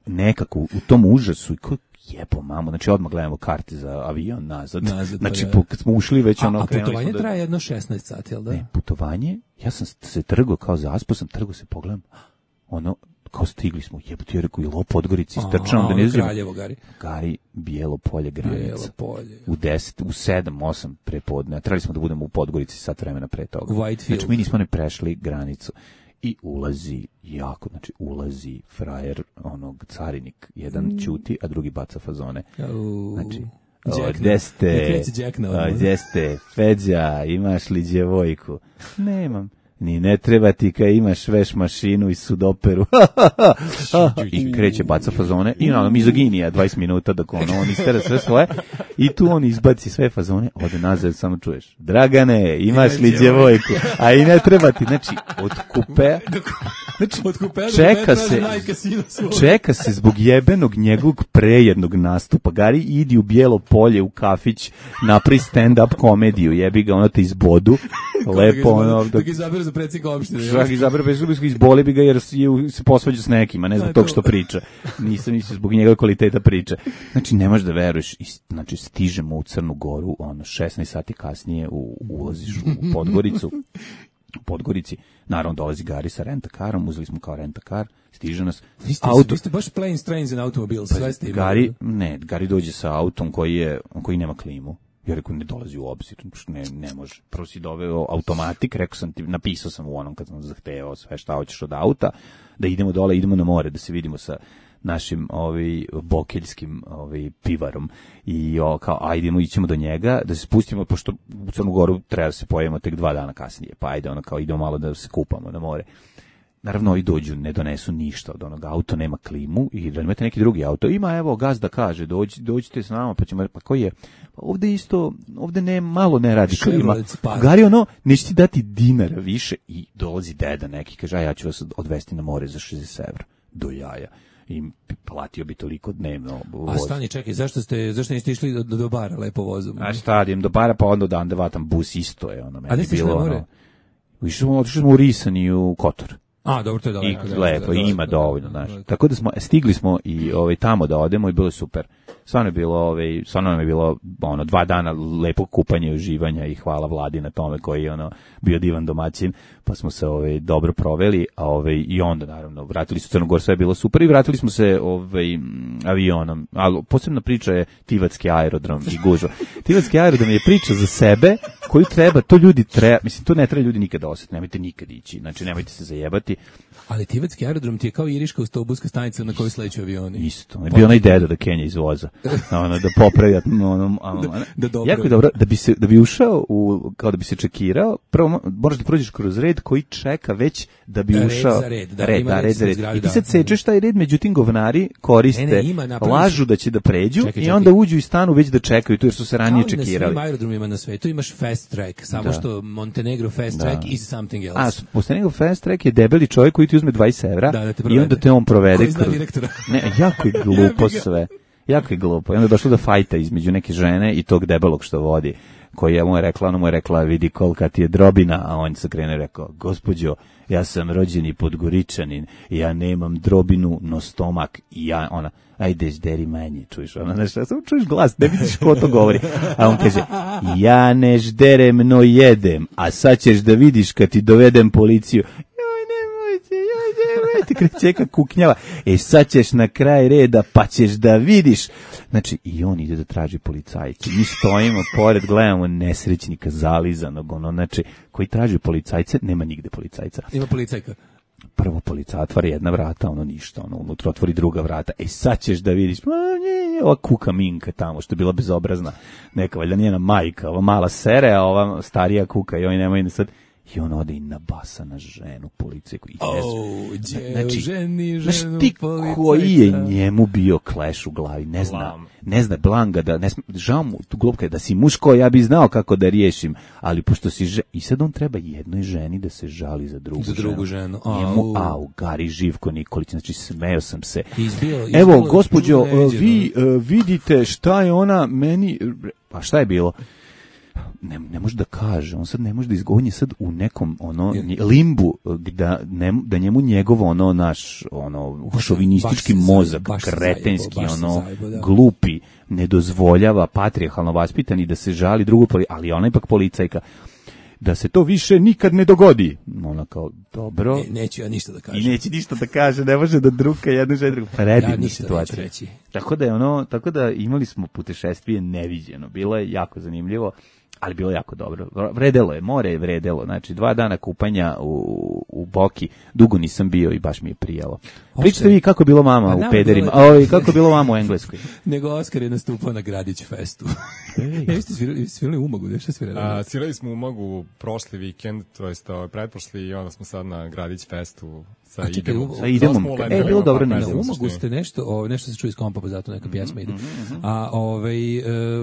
nekako u tom užasu, i ko jebo mamo, znači odmah gledamo karte za avion nazad. Nazad, pa znači, da. po- kad smo ušli već A, ono... a krenuli putovanje smo da- traje jedno šesnaest sati, jel da? Ne, putovanje, ja sam se trgao kao zaspo, sam trgao se, pogledam, ono, kao stigli smo, jebote, ja rekao, i lo Podgorici, istrčavam da ono ne izađemo. Kraljevo, Gari. Gari, Bijelo polje, Bijelo granica. polje. U deset, u sedam, osam prepodne, a trebali smo da budemo u Podgorici sat vremena pre toga. Whitefield. Znači, mi nismo ne prešli granicu. I ulazi, jako, znači, ulazi frajer, onog carinik, jedan ćuti, a drugi baca fazone. Au. Znači, Jack o, na- gde ste, ne kreće Jack na o, odmah. gde ste, Feđa, imaš li djevojku? Nemam. Ni ne treba ti kad imaš veš mašinu i sudoperu. I kreće baca fazone i ono, mizoginija, dvadeset minuta dok ono, on istera sve svoje i tu on izbaci sve fazone, ode nazad, samo čuješ, Dragane, imaš li djevojku? A i ne treba ti, znači, od kupe, znači, Od kupea do čeka kupea se, traži majka sina svoga. čeka se zbog jebenog njegovog prejednog nastupa. Gari, idi u Bijelo polje, u kafić, napravi stand-up komediju, jebi ga, ono te izbodu, lepo, ono, Dok izaberu za predsjednika opštine. Čak izabere bez zubinskog, izboli bi ga jer je se posvađa s nekima, ne zbog Da, tog to. što priča. Nisam mislio zbog njegove kvaliteta priča. Znači, ne možeš da veruješ. I, znači, stižemo u Crnu Goru, ono, šesnaest sati kasnije u, ulaziš u Podgoricu. U Podgorici, naravno, dolazi Gari sa rentakarom, uzeli smo kao rentakar, stiže nas. Vi ste, auto, vi ste baš planes, trains and automobiles, sve ste imali. Gari, ne, Gari dođe sa autom koji je, koji nema klimu. Ja rekao, ne dolazi u obzir, ne, ne može. Prvo si doveo automatik, rekao sam ti, napisao sam u onom kad sam zahtevao sve šta hoćeš od auta, da idemo dole, idemo na more, da se vidimo sa našim ovaj bokeljskim ovaj pivarom i o, kao ajdemo ićemo do njega da se spustimo pošto u Crnu Goru treba da se pojavimo tek dva dana kasnije pa ajde ono kao idemo malo da se kupamo na more. Naravno i dođu, ne donesu ništa od onog auto, nema klimu i da imate neki drugi auto. Ima, evo, gazda kaže, dođi, dođite s nama, pa ćemo, pa koji je? Pa ovde isto, ovde ne, malo ne radi klima. Chevrolet Spark. Gari ono, neće ti dati dinara više i dolazi deda neki, kaže, a ja ću vas odvesti na more za šezdeset evra. Do jaja. i platio bi toliko dnevno. A stani, čekaj, zašto ste, zašto niste išli do, do bara lepo vozom? A šta, idem do bara, pa onda dan da vatam bus, isto je ono. A gde ste išli na more? Išli otišli smo u Risan i u Kotor. A, dobro, to je daleko. I lepo, da, ima dovoljno, znaš. Tako da smo, stigli smo i ovaj, tamo da odemo i bilo je super. Stvarno je bilo, ovaj, stvarno nam je bilo ono, dva dana lepog kupanja i uživanja i hvala Vladi na tome koji je ono, bio divan domaćin, pa smo se ovaj, dobro proveli, a ovaj, i onda naravno vratili su Crnogor, sve je bilo super i vratili smo se ovaj, avionom. Ali posebna priča je Tivatski aerodrom i gužva. Tivatski aerodrom je priča za sebe koju treba, to ljudi treba, mislim, to ne treba ljudi nikada osjetiti, nemojte nikad ići, znači nemojte se zajebati. Ali Tivatski aerodrom ti je kao iriška autobuska stanica na kojoj sleću avioni. Isto, je bio onaj dedo da Kenja izvoza, ono, da popravi, ono, ono, da, da jako je dobro, da bi, se, da bi ušao, u, kao da bi se čekirao, prvo moraš da prođeš kroz red koji čeka već da bi red ušao. Za red, da, red, da, red za red. Zgradi, I ti sad sečeš taj red, međutim govnari koriste, ne, ne, ima, lažu da će da pređu čekaj, čekaj. I onda uđu i stanu već da čekaju tu jer su se ranije čekirali. Kao na svim aerodromima na svetu imaš fast track, samo da. Što Montenegro fast da. track is something else. A, Montenegro fast track je debeli čovjek koji ti uzme dvadeset evra da, da i onda te on provede. Koji zna direktora. Ne, jako je glupo sve. Jako je glupo. I onda je došlo do fajta između neke žene i tog debelog što vodi, koji je mu je rekla, ona mu je rekla, vidi kolika ti je drobina, a on se krene rekao, gospođo, ja sam rođeni Podgoričanin, ja nemam drobinu, no stomak, i ja, ona, ajde, žderi manje, čuješ, ona, nešto, samo čuješ glas, ne vidiš ko to govori, a on kaže, ja ne žderem, no jedem, a sad ćeš da vidiš kad ti dovedem policiju, ti krećeka kuknjava, e sad ćeš na kraj reda pa ćeš da vidiš. Znači i on ide da traži policajce, mi stojimo pored, gledamo nesrećnika zalizanog, ono, znači koji traži policajce, nema nigde policajca. Ima policajka. Prvo policajac otvara jedna vrata, ono ništa, ono unutra otvori druga vrata, e sad ćeš da vidiš, ova kuka Minka tamo, što je bila bezobrazna, neka valjda njena majka, ova mala sere, a ova starija kuka i oni nemaju sad. I on ode i nabasa na ženu policajku. I oh, znači, ženi, znaš ženu ti policajca. Koji je njemu bio kleš u glavi, ne zna, Blam. ne zna Blanga, da, ne, žao mu tu glupka, da si muško, ja bi znao kako da riješim, ali pošto si žena, i sad on treba jednoj ženi da se žali za drugu, za drugu ženu. ženu. Oh. Njemu, au, Gari Živko Nikolić, znači smeo sam se. Izbio, izbio, Evo, gospođo, vi uh, vidite šta je ona meni, pa šta je bilo? Ne, ne može da kaže, on sad ne može da izgovori, sad u nekom ono limbu da, ne, da njemu njegov ono naš ono šovinistički mozak, kretenski, ono zajebo, da. Glupi, ne dozvoljava patrijarhalno vaspitani da se žali drugu, ali ona ipak policajka. Da se to više nikad ne dogodi. Ona kao, dobro. Ne, neću ja ništa da kažem. I neće ništa da kaže, ne može da druka jednu ženu drugu. Predivna ja situacija. Tako da je ono, tako da imali smo putešestvije neviđeno. Bilo je jako zanimljivo. Ali bilo jako dobro. Vredelo je, more je vredelo. Znači, dva dana kupanja u, u Boki. Dugo nisam bio i baš mi je prijelo. Pričate vi kako je bilo mama pa, u pederima. A ovi, kako je bilo mama u Engleskoj. Nego Oskar je nastupao na Gradić festu. Ja, ste svirali, svirali u Umagu, nešto svirali? A, svirali smo u Umagu prošli vikend, to jest pretprošli, i onda smo sad na Gradić festu. Sa a čekaj, idemo. Sa idemo. E, bilo dobro na Umagu ste nešto, o, nešto se čuje iz kompa, pa zato neka pjesma ide. A ovaj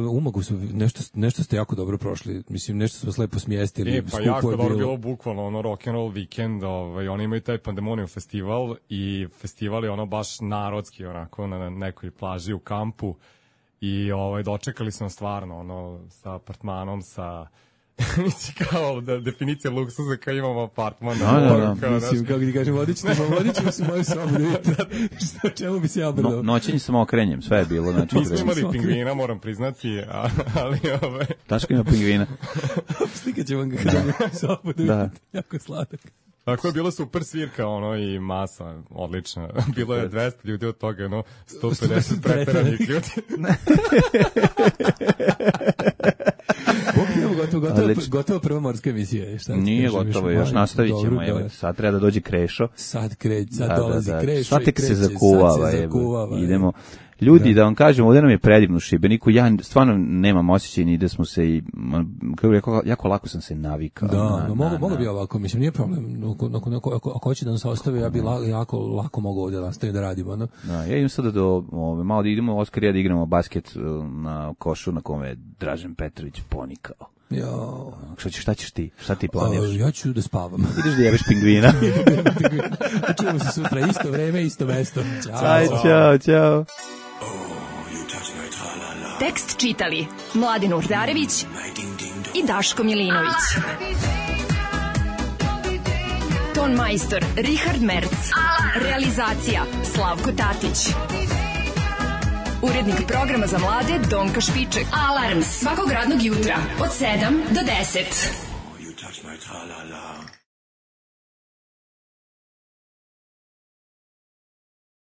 u Umagu su nešto nešto ste jako dobro prošli. Mislim nešto smo se lepo smjestili. E, pa jako dobro bilo bukvalno ono rock and roll vikend, ovaj oni imaju taj Pandemonium festival i festival je ono baš narodski onako na nekoj plaži u kampu i ovaj dočekali smo stvarno ono sa apartmanom, sa mislim kao da definicija luksuza kao imamo apartman. No, no, no. Kao, mislim, kako ti kažem, vodit ćemo, vodit ćemo se moju sobu da vidite što, čemu bi se ja obradao. No, noćenje sam okrenjem, sve je bilo. Znači, nismo imali pingvina, moram priznati, a, ali ove... Taško ima pingvina. Slikat ćemo ga kada sobu da vidite, da. Jako sladak. Tako je bilo super svirka, ono, i masa, odlična. Bilo je dvesta ljudi od toga, ono, sto pedeset preteranih ljudi. Gotovo, gotovo, gotovo prva morska emisija. Šta nije gotovo, još, još nastavit ćemo. Evo, sad treba da dođe Krešo. Sad, kreć, sad da, dolazi da, da. Krešo sad tek i kreće, se zakuvava. Sad se zakuvava. Idemo. Ljudi, da. da vam kažem, ovdje nam je predivno u Šibeniku, ja stvarno nemam osjećaj ni da smo se i, kako jako, jako lako sam se navikao. Da, na, no, mogu, mogu bi ovako, mislim, nije problem, ako, ako, ako, ako hoće da nas ostavi, ja bi la, jako lako mogu ovdje nastaviti da radimo. No? Da, ja idem sada do, ove, malo da idemo, Oskar i ja da igramo basket na košu na kome je Dražen Petrović ponikao. Jo. Šta ćeš, šta ćeš ti? Šta ti planiraš? Uh, ja ću da spavam. Ideš da jebeš pingvina. Čujemo se sutra, isto vreme, isto mesto. Ćao. Aj, čao, čao. Tekst čitali Mladin Urdarević i Daško Milinović. Ton majstor Richard Merc. Realizacija Slavko Tatić. Urednik programa za mlade Donka Špiček. Alarms svakog radnog jutra od sedam do deset.